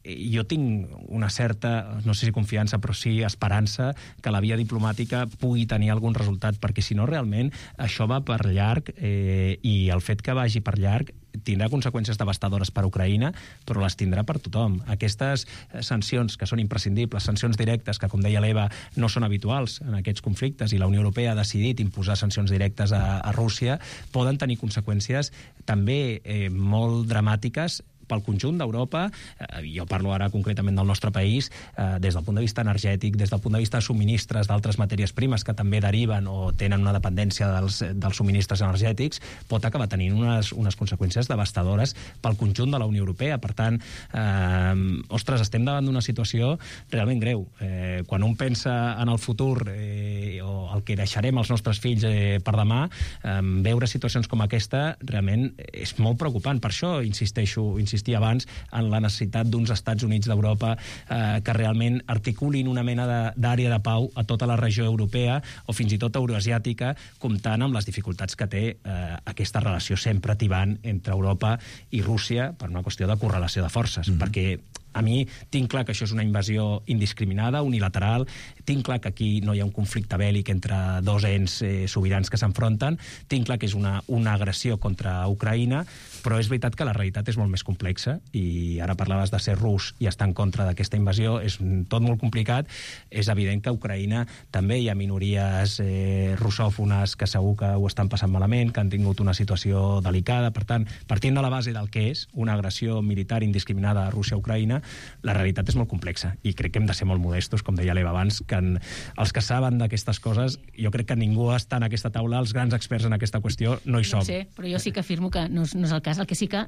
jo tinc una certa, no sé si confiança, però sí esperança que la via diplomàtica pugui tenir algun resultat, perquè si no realment això va per llarg eh, i el fet que vagi per llarg tindrà conseqüències devastadores per a Ucraïna, però les tindrà per tothom. Aquestes sancions que són imprescindibles, sancions directes, que, com deia l'Eva, no són habituals en aquests conflictes, i la Unió Europea ha decidit imposar sancions directes a, a Rússia, poden tenir conseqüències també eh, molt dramàtiques pel conjunt d'Europa. Eh, jo parlo ara concretament del nostre país, eh, des del punt de vista energètic, des del punt de vista de subministres d'altres matèries primes que també deriven o tenen una dependència dels, dels subministres energètics, pot acabar tenint unes, unes conseqüències devastadores pel conjunt de la Unió Europea. Per tant, eh, ostres, estem davant d'una situació realment greu. Eh, quan un pensa en el futur eh, o el que deixarem als nostres fills eh, per demà, eh, veure situacions com aquesta realment és molt preocupant. Per això insisteixo, insisteixo insistir abans en la necessitat d'uns Estats Units d'Europa eh, que realment articulin una mena d'àrea de, de pau a tota la regió europea o fins i tot euroasiàtica, comptant amb les dificultats que té eh, aquesta relació sempre tibant entre Europa i Rússia per una qüestió de correlació de forces, mm-hmm. perquè A mi tinc clar que això és una invasió indiscriminada, unilateral, tinc clar que aquí no hi ha un conflicte bèl·lic entre dos ens eh, sobirans que s'enfronten, tinc clar que és una, una agressió contra Ucraïna, però és veritat que la realitat és molt més complexa i ara parlaves de ser rus i estar en contra d'aquesta invasió, és tot molt complicat. És evident que a Ucraïna també hi ha minories eh, russòfones que segur que ho estan passant malament, que han tingut una situació delicada. Per tant, partint de la base del que és una agressió militar indiscriminada a Rússia a Ucraïna, la realitat és molt complexa i crec que hem de ser molt modestos, com deia l'Eva abans, que en, els que saben d'aquestes coses, jo crec que ningú està en aquesta taula, els grans experts en aquesta qüestió no hi som. No sé, però jo sí que afirmo que no és, no és el cas. El que sí que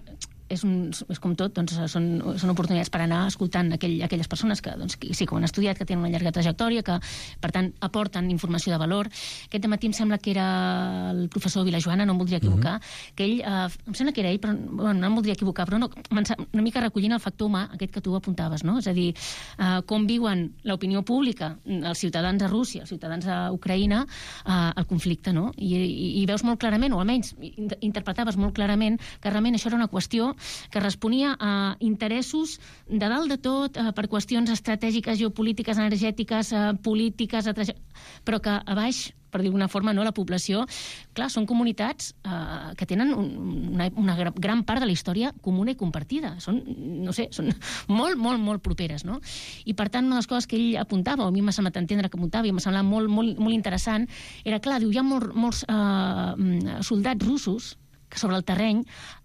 és, un, és com tot, doncs són, són oportunitats per anar escoltant aquell, aquelles persones que, doncs, que sí que ho han estudiat, que tenen una llarga trajectòria, que per tant aporten informació de valor. Aquest matí em sembla que era el professor Vilajoana, no em voldria equivocar, mm-hmm. que ell, eh, em sembla que era ell, però bueno, no em voldria equivocar, però no, una mica recollint el factor humà, aquest que tu apuntaves, no? És a dir, eh, com viuen l'opinió pública, els ciutadans a Rússia, els ciutadans a Ucraïna, eh, el conflicte, no? I, i, i veus molt clarament, o almenys interpretaves molt clarament, que realment això era una qüestió que responia a interessos de dalt de tot, eh, per qüestions estratègiques, geopolítiques, energètiques, eh, polítiques, però que a baix, per dir d'alguna forma, no, la població, clar, són comunitats eh, que tenen un, una, una gran part de la història comuna i compartida. Són, no sé, són molt, molt, molt properes, no? I, per tant, una de les coses que ell apuntava, o a mi m'ha semblat entendre que apuntava, i m'ha semblat molt, molt, molt interessant, era, clar, diu, hi ha molt, molts eh, soldats russos que sobre el terreny,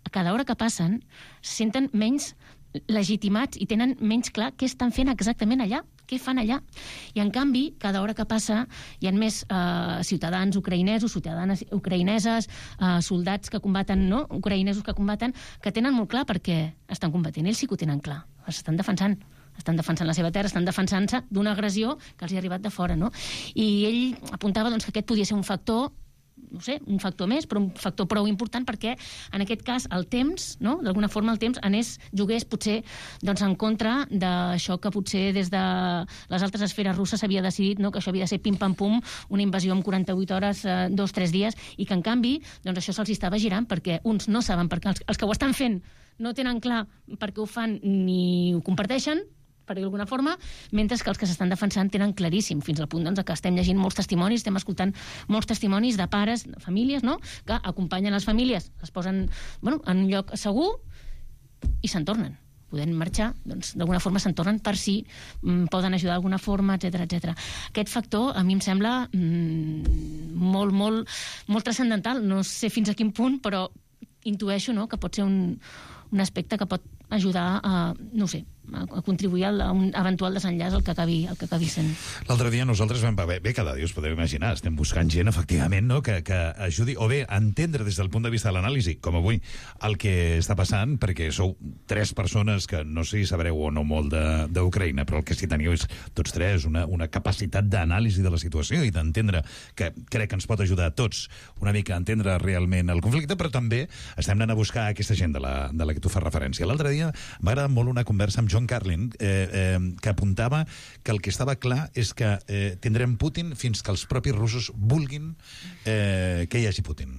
a cada hora que passen, se senten menys legitimats i tenen menys clar què estan fent exactament allà, què fan allà. I, en canvi, cada hora que passa hi ha més eh, ciutadans ucraïnesos, ciutadanes ucraïneses, eh, soldats que combaten, no? Ucraïnesos que combaten, que tenen molt clar per què estan combatent. Ells sí que ho tenen clar. Estan defensant. Estan defensant la seva terra, estan defensant-se d'una agressió que els hi ha arribat de fora, no? I ell apuntava, doncs, que aquest podia ser un factor, no sé, un factor més, però un factor prou important perquè, en aquest cas, el temps, no? D'alguna forma el temps anés, jugués potser doncs, en contra d'això que potser des de les altres esferes russes s'havia decidit, no? Que això havia de ser pim-pam-pum, una invasió en quaranta-vuit hores, eh, dos, tres dies, i que, en canvi, doncs això se'ls estava girant perquè uns no saben, perquè els, els que ho estan fent no tenen clar per què ho fan ni ho comparteixen, per dir d'alguna forma, mentre que els que s'estan defensant tenen claríssim, fins al punt doncs, que estem llegint molts testimonis, estem escoltant molts testimonis de pares, de famílies, no?, que acompanyen les famílies, les posen, bueno, en un lloc segur i se'n tornen. Podent marxar, doncs, d'alguna forma se'n tornen per si mm, poden ajudar d'alguna forma, etcètera, etcètera. Aquest factor, a mi em sembla mm, molt, molt, molt transcendental. No sé fins a quin punt, però intueixo, no?, que pot ser un, un aspecte que pot ajudar a, no sé, a contribuir a un eventual desenllaç al que acabi, al que acabi sent. L'altre dia nosaltres vam... Bé, bé, cada dia us podeu imaginar, estem buscant gent, efectivament, no?, que, que ajudi, o bé, a entendre des del punt de vista de l'anàlisi, com avui, el que està passant, perquè sou tres persones que no sé si sabreu o no molt d'Ucraïna, però el que sí teniu és, tots tres, una, una capacitat d'anàlisi de la situació i d'entendre, que crec que ens pot ajudar a tots una mica a entendre realment el conflicte, però també estem anant a buscar aquesta gent de la, de la que tu fas referència. L'altre dia m'ha agradat molt una conversa amb John Carlin, eh, eh, que apuntava que el que estava clar és que eh, tindrem Putin fins que els propis russos vulguin eh, que hi hagi Putin.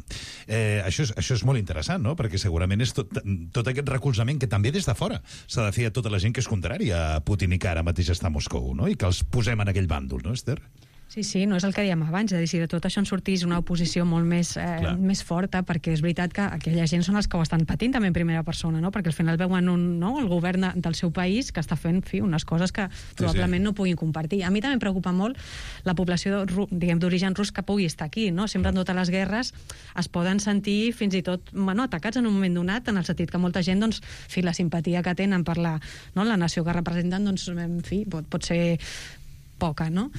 Eh, això, és, això és molt interessant, no?, perquè segurament és tot, tot aquest recolzament que també des de fora s'ha de fer a tota la gent que és contrària a Putin i que ara mateix està a Moscou, no?, i que els posem en aquell bàndol, no, Esther? Sí, sí, no és el que dèiem abans, és a dir, si de tot això en sortís una oposició molt més, eh, més forta, perquè és veritat que aquella gent són els que ho estan patint també en primera persona, no?, perquè al final veuen un, no, el govern del seu país que està fent, fi, unes coses que sí, probablement sí. no puguin compartir. A mi també em preocupa molt la població, diguem, d'origen rus que pugui estar aquí, no? Sempre en totes les guerres es poden sentir fins i tot, bueno, atacats en un moment donat, en el sentit que molta gent, doncs, fi, la simpatia que tenen per la, no, la nació que representen, doncs, en fi, pot, pot ser poca, no?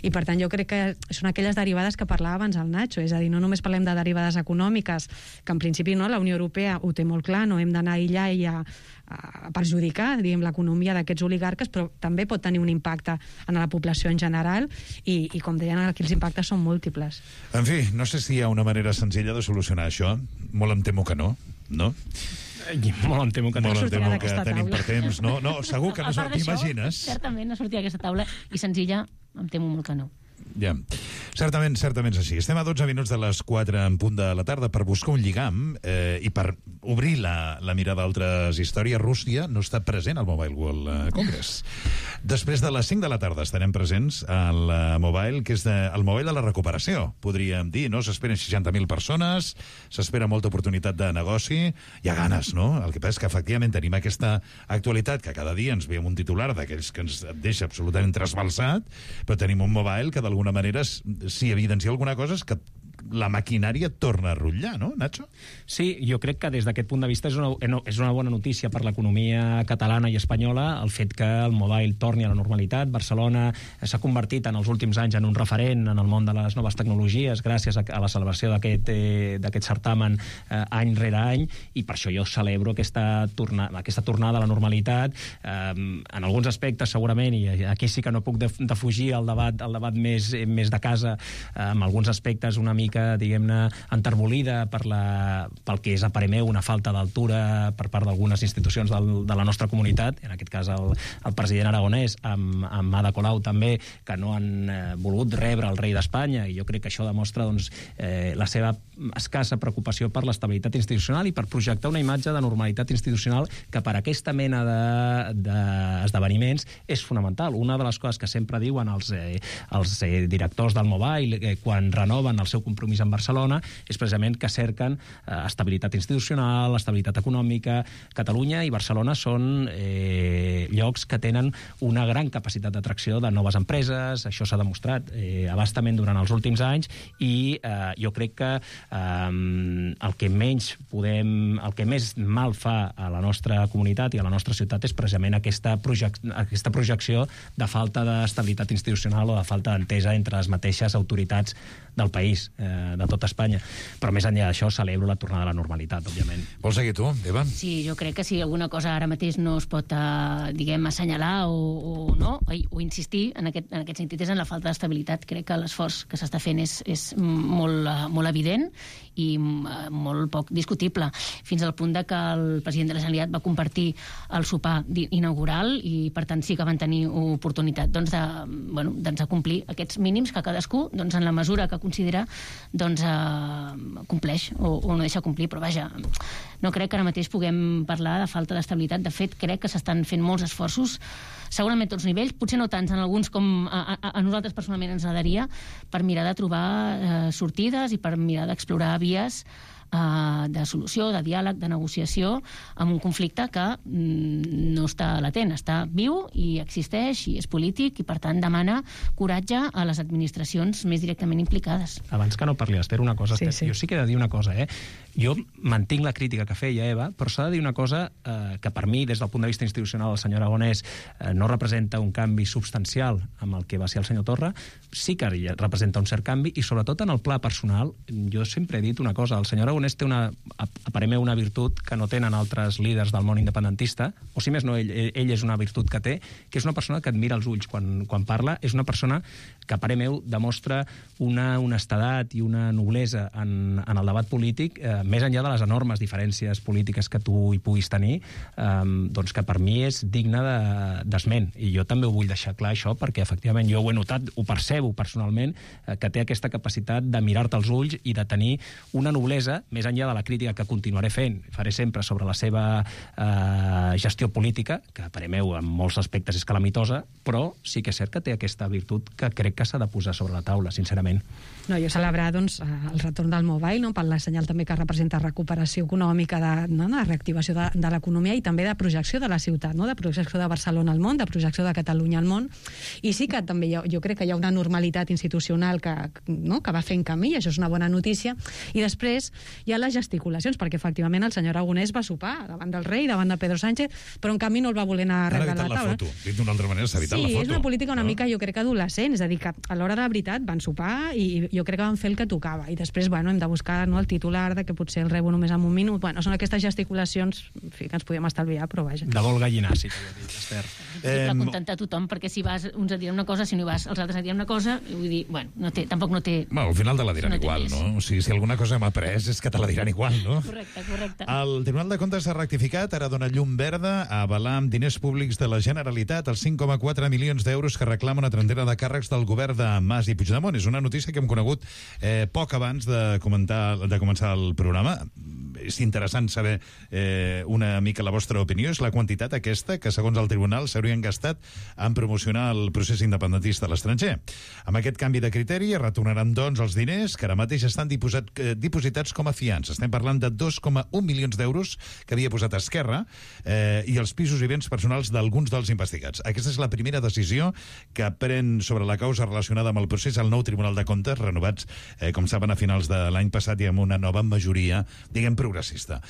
I per tant jo crec que són aquelles derivades que parlava abans el Nacho, és a dir, no només parlem de derivades econòmiques, que en principi no, la Unió Europea ho té molt clar, no hem d'anar a aïllar i a, a perjudicar, diguem, l'economia d'aquests oligarques, però també pot tenir un impacte en la població en general i, i com deien, aquí els impactes són múltiples. En fi, no sé si hi ha una manera senzilla de solucionar això, molt em temo que no, no? Molt em temo que no, molt em temo que tenim taula. per temps, no? No, segur que no s'ho t'imagines. Certament no sortia d'aquesta taula i senzilla em temo molt que no. Ja. Certament, certament és així. Estem a dotze minuts de les quatre en punt de la tarda per buscar un lligam eh, i per obrir la, la mirada a altres històries. Rússia no està present al Mobile World Congress. Després de les cinc de la tarda estarem presents al Mobile, que és de, el Mobile de la recuperació, podríem dir, no? S'esperen seixanta mil persones, s'espera molta oportunitat de negoci, hi ha ganes, no? El que passa és que efectivament tenim aquesta actualitat que cada dia ens veiem un titular d'aquells que ens deixa absolutament trasbalsat, però tenim un Mobile que d'alguna manera, si evidencia alguna cosa, és que la maquinària torna a rutllar, no, Nacho? Sí, jo crec que des d'aquest punt de vista és una, és una bona notícia per l'economia catalana i espanyola el fet que el Mobile torni a la normalitat. Barcelona s'ha convertit en els últims anys en un referent en el món de les noves tecnologies gràcies a, a la celebració d'aquest eh, d'aquest certamen eh, any rere any, i per això jo celebro aquesta, torna, aquesta tornada a la normalitat. Eh, en alguns aspectes segurament, i aquí sí que no puc defugir el debat, el debat més, més de casa, eh, en alguns aspectes una mica diguem-ne, enterbolida per la, pel que és a parer meu una falta d'altura per part d'algunes institucions del, de la nostra comunitat, en aquest cas el, el president aragonès amb, amb Ada Colau també, que no han eh, volgut rebre el rei d'Espanya, i jo crec que això demostra doncs, eh, la seva escassa preocupació per l'estabilitat institucional i per projectar una imatge de normalitat institucional que per aquesta mena d'esdeveniments de, de és fonamental. Una de les coses que sempre diuen els, eh, els eh, directors del Mobile eh, quan renoven el seu compromís en Barcelona és precisament que cerquen eh, estabilitat institucional, estabilitat econòmica. Catalunya i Barcelona són eh, llocs que tenen una gran capacitat d'atracció de noves empreses, això s'ha demostrat eh, abastament durant els últims anys, i eh, jo crec que eh, el que menys podem, el que més mal fa a la nostra comunitat i a la nostra ciutat és precisament aquesta, projec aquesta projecció de falta d'estabilitat institucional o de falta d'entesa entre les mateixes autoritats del país, eh, de tota Espanya. Però més enllà d'això, celebro la tornada a la normalitat, òbviament. Vols seguir tu, Eva? Sí, jo crec que si alguna cosa ara mateix no es pot, eh, diguem, assenyalar o, o, no, o insistir en aquest, en aquest sentit és en la falta d'estabilitat. Crec que l'esforç que s'està fent és, és molt, molt evident i molt poc discutible, fins al punt de que el president de la Generalitat va compartir el sopar inaugural i, per tant, sí que van tenir oportunitat doncs, de, bueno, doncs, de complir aquests mínims que cadascú, doncs, en la mesura que considera, doncs, eh, compleix o, o no deixa complir. Però, vaja, no crec que ara mateix puguem parlar de falta d'estabilitat. De fet, crec que s'estan fent molts esforços, segurament a tots nivells, potser no tants en alguns com a, a, a nosaltres personalment ens agradaria, per mirar de trobar eh, sortides i per mirar d'explorar vies Uh, de solució, de diàleg, de negociació amb un conflicte que mm, no està latent, està viu i existeix i és polític i, per tant, demana coratge a les administracions més directament implicades. Abans que no parli, Esther, una cosa, Sí, Esther, sí. jo sí que he de dir una cosa, eh? Jo mantinc la crítica que feia Eva, però s'ha de dir una cosa eh, que per mi, des del punt de vista institucional, el senyor Aragonès eh, no representa un canvi substancial amb el que va ser el senyor Torra, sí que representa un cert canvi, i sobretot en el pla personal. Jo sempre he dit una cosa, el senyor Aragonès té una, a, a parer meu, una virtut que no tenen altres líders del món independentista, o si més no, ell, ell és una virtut que té, que és una persona que admira els ulls quan, quan parla, és una persona que, a parer meu, demostra una honestedat i una noblesa en, en el debat polític, eh, més enllà de les enormes diferències polítiques que tu hi puguis tenir, eh, doncs que per mi és digne d'esment. De, I jo també ho vull deixar clar, això, perquè efectivament jo ho he notat, ho percebo personalment, eh, que té aquesta capacitat de mirar-te als ulls i de tenir una noblesa, més enllà de la crítica que continuaré fent, faré sempre sobre la seva eh, gestió política, que a parer meu en molts aspectes és calamitosa, però sí que és cert que té aquesta virtut que crec que s'ha de posar sobre la taula, sincerament. No, jo celebrar doncs, el retorn del Mobile, no, per la senyal també que representa recuperació econòmica, de, no, de reactivació de, de l'economia i també de projecció de la ciutat, no, de projecció de Barcelona al món, de projecció de Catalunya al món. I sí que també jo, jo crec que hi ha una normalitat institucional que, no, que va fent camí, i això és una bona notícia. I després hi ha les gesticulacions, perquè efectivament el senyor Aragonès va sopar davant del rei, davant de Pedro Sánchez, però en canvi no el va voler anar a arreglar la taula. Foto. Dit d'una altra manera, s'ha evitat sí, la foto. Sí, és una política una no? mica, jo crec, adolescent, és a dir, que a l'hora de la veritat van sopar i jo crec que van fer el que tocava. I després, bueno, hem de buscar, no, el titular de que potser el rebo només en un minut. Bueno, són aquestes gesticulacions, en fi, que ens podíem estalviar, però vaja. De vol gallinàs, sí, que dit, Esther. Eh, contentar tothom, perquè si vas uns a dir una cosa, si no hi vas, els altres a dir una cosa, vull dir, bueno, no té, tampoc no té... Bueno, al final te la diran no igual, no? O sigui, si alguna cosa hem après és que que te la diran igual, no? Correcte, correcte. El Tribunal de Comptes ha rectificat, ara dona llum verda a avalar amb diners públics de la Generalitat els cinc coma quatre milions d'euros que reclama una trentena de càrrecs del govern de Mas i Puigdemont. És una notícia que hem conegut eh, poc abans de, comentar, de començar el programa. És interessant saber eh, una mica la vostra opinió. És la quantitat aquesta que, segons el Tribunal, s'haurien gastat en promocionar el procés independentista a l'estranger. Amb aquest canvi de criteri es retornaran, doncs, els diners que ara mateix estan diposat, eh, dipositats com a fiança. Estem parlant de dos coma un milions d'euros que havia posat Esquerra eh, i els pisos i béns personals d'alguns dels investigats. Aquesta és la primera decisió que pren sobre la causa relacionada amb el procés el nou Tribunal de Comptes, renovats, eh, com saben, a finals de l'any passat i amb una nova majoria, diguem, progressista.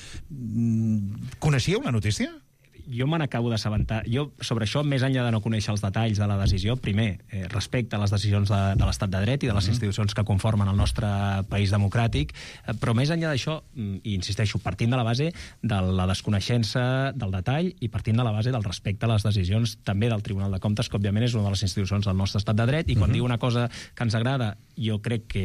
Coneixíeu la notícia? Jo me n'acabo d'assabentar. Jo, sobre això, més enllà de no conèixer els detalls de la decisió, primer, eh, respecte a les decisions de, de l'estat de dret i de les institucions que conformen el nostre país democràtic, eh, però més enllà d'això, i insisteixo, partint de la base de la desconeixença del detall i partint de la base del respecte a les decisions també del Tribunal de Comptes, que òbviament és una de les institucions del nostre estat de dret, i quan uh-huh. diu una cosa que ens agrada, jo crec que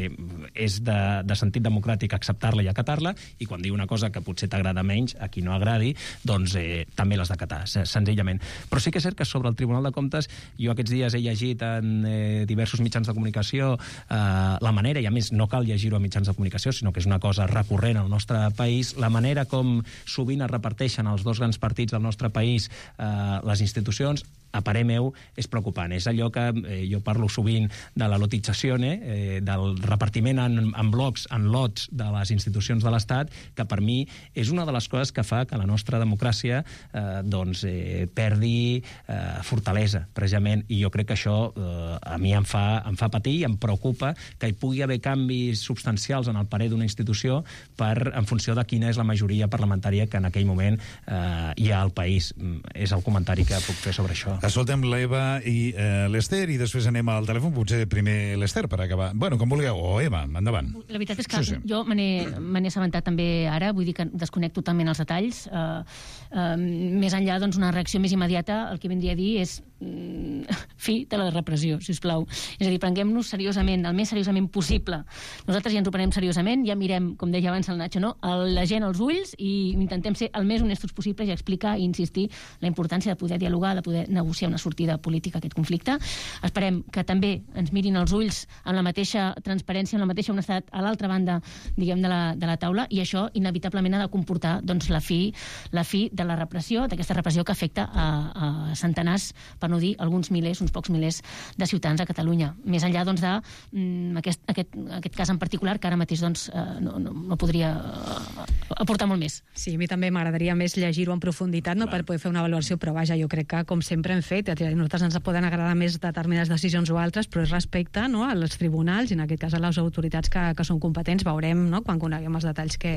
és de, de sentit democràtic acceptar-la i acatar-la, i quan diu una cosa que potser t'agrada menys, a qui no agradi, doncs eh, també les d'acatar, senzillament. Però sí que és cert que sobre el Tribunal de Comptes jo aquests dies he llegit en eh, diversos mitjans de comunicació eh, la manera, i a més no cal llegir-ho a mitjans de comunicació, sinó que és una cosa recurrent al nostre país, la manera com sovint es reparteixen els dos grans partits del nostre país eh, les institucions, a parer meu, és preocupant. És allò que eh, jo parlo sovint de la lotització, eh, del repartiment en, en blocs, en lots de les institucions de l'Estat, que per mi és una de les coses que fa que la nostra democràcia eh, doncs, eh, perdi eh, fortalesa, precisament, i jo crec que això eh, a mi em fa, em fa patir i em preocupa que hi pugui haver canvis substancials en el parer d'una institució per, en funció de quina és la majoria parlamentària que en aquell moment eh, hi ha al país. És el comentari que puc fer sobre això. Escoltem l'Eva i eh, l'Ester i després anem al telèfon, potser primer l'Ester per acabar. Bueno, com vulgueu, o Eva, endavant. La veritat és que sí, sí. jo me n'he assabentat també ara, vull dir que desconecto totalment els detalls. Uh, uh, més enllà, doncs, una reacció més immediata, el que vindria a dir és mm, fi de la repressió, sisplau. És a dir, prenguem-nos seriosament, el més seriosament possible. Nosaltres ja ens ho prenem seriosament, ja mirem, com deia abans el Nacho, no? la gent als ulls i intentem ser el més honestos possibles i explicar i insistir la importància de poder dialogar, de poder negociar una sortida política a aquest conflicte. Esperem que també ens mirin als ulls amb la mateixa transparència, amb la mateixa honestedat a l'altra banda, diguem, de la, de la taula, i això inevitablement ha de comportar, doncs, la fi, la fi de la repressió, d'aquesta repressió que afecta a, a centenars, per no dir alguns milers, uns pocs milers de ciutadans a Catalunya. Més enllà, doncs, de mm, aquest, aquest, aquest cas en particular, que ara mateix, doncs, eh, no, no, no podria eh, aportar molt més. Sí, a mi també m'agradaria més llegir-ho en profunditat, no, per poder fer una avaluació, però vaja, jo crec que, com sempre hem fet, a nosaltres ens poden agradar més determinades decisions o altres, però és respecte, no, als tribunals i en aquest cas a les autoritats que, que són competents. Veurem, no, quan coneguem els detalls que,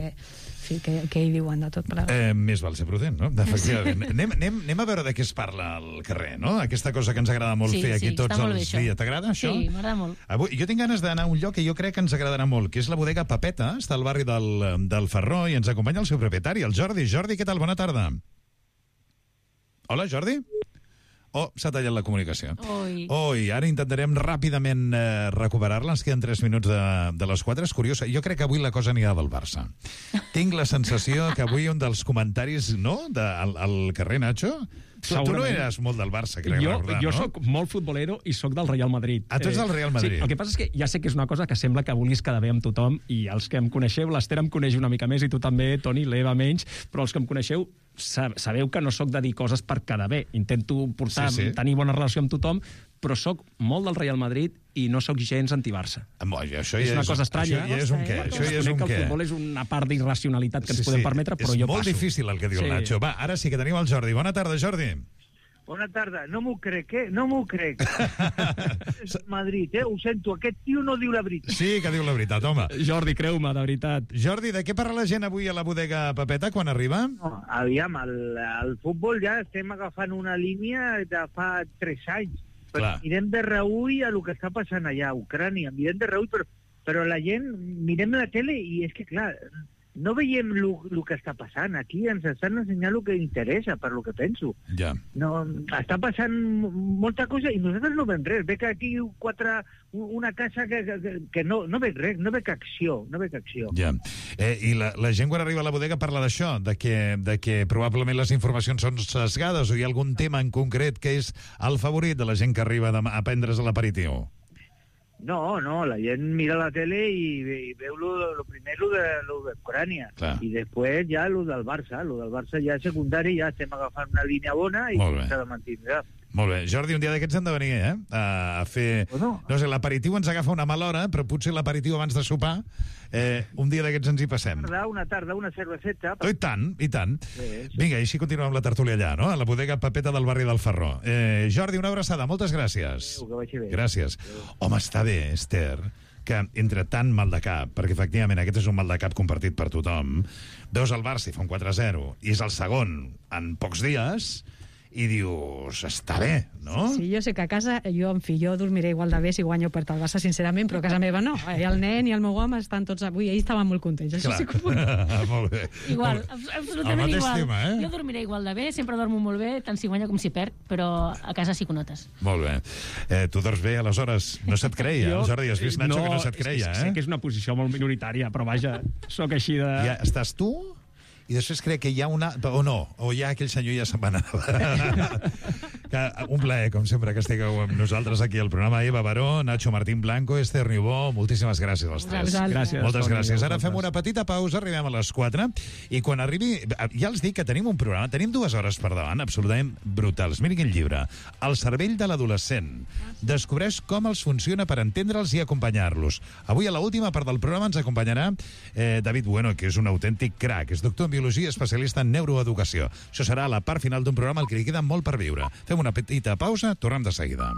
sí, que, que hi diuen de tot. Eh, més val ser prudent, no? Efectivament. anem, anem, anem a veure de què es parla al carrer, no? Aquesta cosa que ens agrada molt sí, fer aquí sí, tots els dies. T'agrada això? Sí, m'agrada molt. Avui, jo tinc ganes d'anar a un lloc que jo crec que ens agradarà molt, que és la bodega Pepeta, està al barri del, del Ferró, i ens acompanya el seu propietari, el Jordi. Jordi, què tal? Bona tarda. Hola, Jordi? Oh, s'ha tallat la comunicació. Oi. Oi, ara intentarem ràpidament eh, recuperar-la. Ens queden tres minuts de, de les quatre. És curiosa. Jo crec que avui la cosa anirà del Barça. Tinc la sensació que avui un dels comentaris, no?, de, al, al carrer, Nacho... Tu, tu no eres molt del Barça, crec jo, recordar, jo no? soc molt futbolero i soc del Real Madrid. Ah, tu ets del Real Madrid. Sí, el que passa és que ja sé que és una cosa que sembla que vulguis quedar bé amb tothom, i els que em coneixeu, l'Ester em coneix una mica més, i tu també, Toni, l'Eva menys, però els que em coneixeu sabeu que no sóc de dir coses per quedar bé. Intento portar, sí, sí. tenir bona relació amb tothom, però sóc molt del Real Madrid i no sóc gens anti-Barça. Això és ja una és, cosa estranya. Això ja és un què. Això ja és un que el què. futbol és una part d'irracionalitat que ens sí, podem sí. permetre, però és jo passo. És molt difícil el que diu sí. el Nacho. Va, ara sí que tenim el Jordi. Bona tarda, Jordi. Bona tarda. No m'ho crec, eh? No m'ho crec. És Madrid, eh? Ho sento, aquest tio no diu la veritat. Sí que diu la veritat, home. Jordi, creu-me, de veritat. Jordi, de què parla la gent avui a la bodega Pepeta quan arriba? No, aviam, el, el futbol ja estem agafant una línia de fa tres anys. Però mirem de reull a el que està passant allà a Ucrània. Mirem de reull, però, però la gent, mirem la tele i és que, clar, no veiem el que està passant. Aquí ens estan ensenyant el que interessa, per lo que penso. Ja. No, està passant molta cosa i nosaltres no veiem res. Veig aquí quatre, una casa que, que, que no, no veig res, no veig acció, no veig acció. Ja. Eh, I la, la gent quan arriba a la bodega parla d'això, de que, de que probablement les informacions són sesgades, o hi ha algun tema en concret que és el favorit de la gent que arriba a prendre's l'aperitiu? No, no, la gent mira la tele i, i veu lo, lo primer lo de, lo de Ucrània. Clar. I després ja lo del Barça. Lo del Barça ja és secundari, ja estem agafant una línia bona i s'ha de mantindre. Molt bé. Jordi, un dia d'aquests hem de venir, eh? A fer... Bueno. No sé, l'aperitiu ens agafa una mala hora, però potser l'aperitiu abans de sopar, eh, un dia d'aquests ens hi passem. Una tarda, una tarda, una cerveseta... Oh, I tant, i tant. Sí, sí. Vinga, i així continuem la tertúlia allà, no? A la bodega Pepeta del barri del Ferró. Eh, Jordi, una abraçada, moltes gràcies. Adéu, que vagi bé. Gràcies. Home, està bé, Esther, que entre tant mal de cap, perquè efectivament aquest és un mal de cap compartit per tothom, veus el Barça i fa un quatre a zero, i és el segon en pocs dies... i dius, està bé, no? Sí, jo sé que a casa, jo, en fi, jo dormiré igual de bé si guanyo per el Barça, sincerament, però a casa meva no. I el nen i el meu home estan tots... Avui, ells estaven molt contents, això Clar. sí que ho puc. Molt bé. Igual, absolutament igual. Tema, eh? Jo dormiré igual de bé, sempre dormo molt bé, tant si guanya com si perd, però a casa sí que ho notes. Molt bé. Eh, tu dors bé, aleshores, no se't creia, jo, Jordi, has vist, Nacho, no, que no se't creia, és, eh? Sé que és una posició molt minoritària, però vaja, sóc així de... Ja estàs tu... i després crec que hi ha una... o no, o ja aquell senyor ja se'n va anar. que, un plaer, com sempre, que estigueu amb nosaltres aquí al programa. Eva Baró, Nacho Martín Blanco, Esther Niubó, moltíssimes gràcies als tres. Gràcies. Moltes gràcies. Ara fem una petita pausa, arribem a les quatre, i quan arribi... Ja els dic que tenim un programa, tenim dues hores per davant, absolutament brutals. Mirin quin llibre. El cervell de l'adolescent. Descobreix com els funciona per entendre'ls i acompanyar-los. Avui, a l'última part del programa, ens acompanyarà eh, David Bueno, que és un autèntic crac. És doctor en biologia, especialista en neuroeducació. Això serà la part final d'un programa al que li queda molt per viure. Fem una petita pausa, tornem de seguida.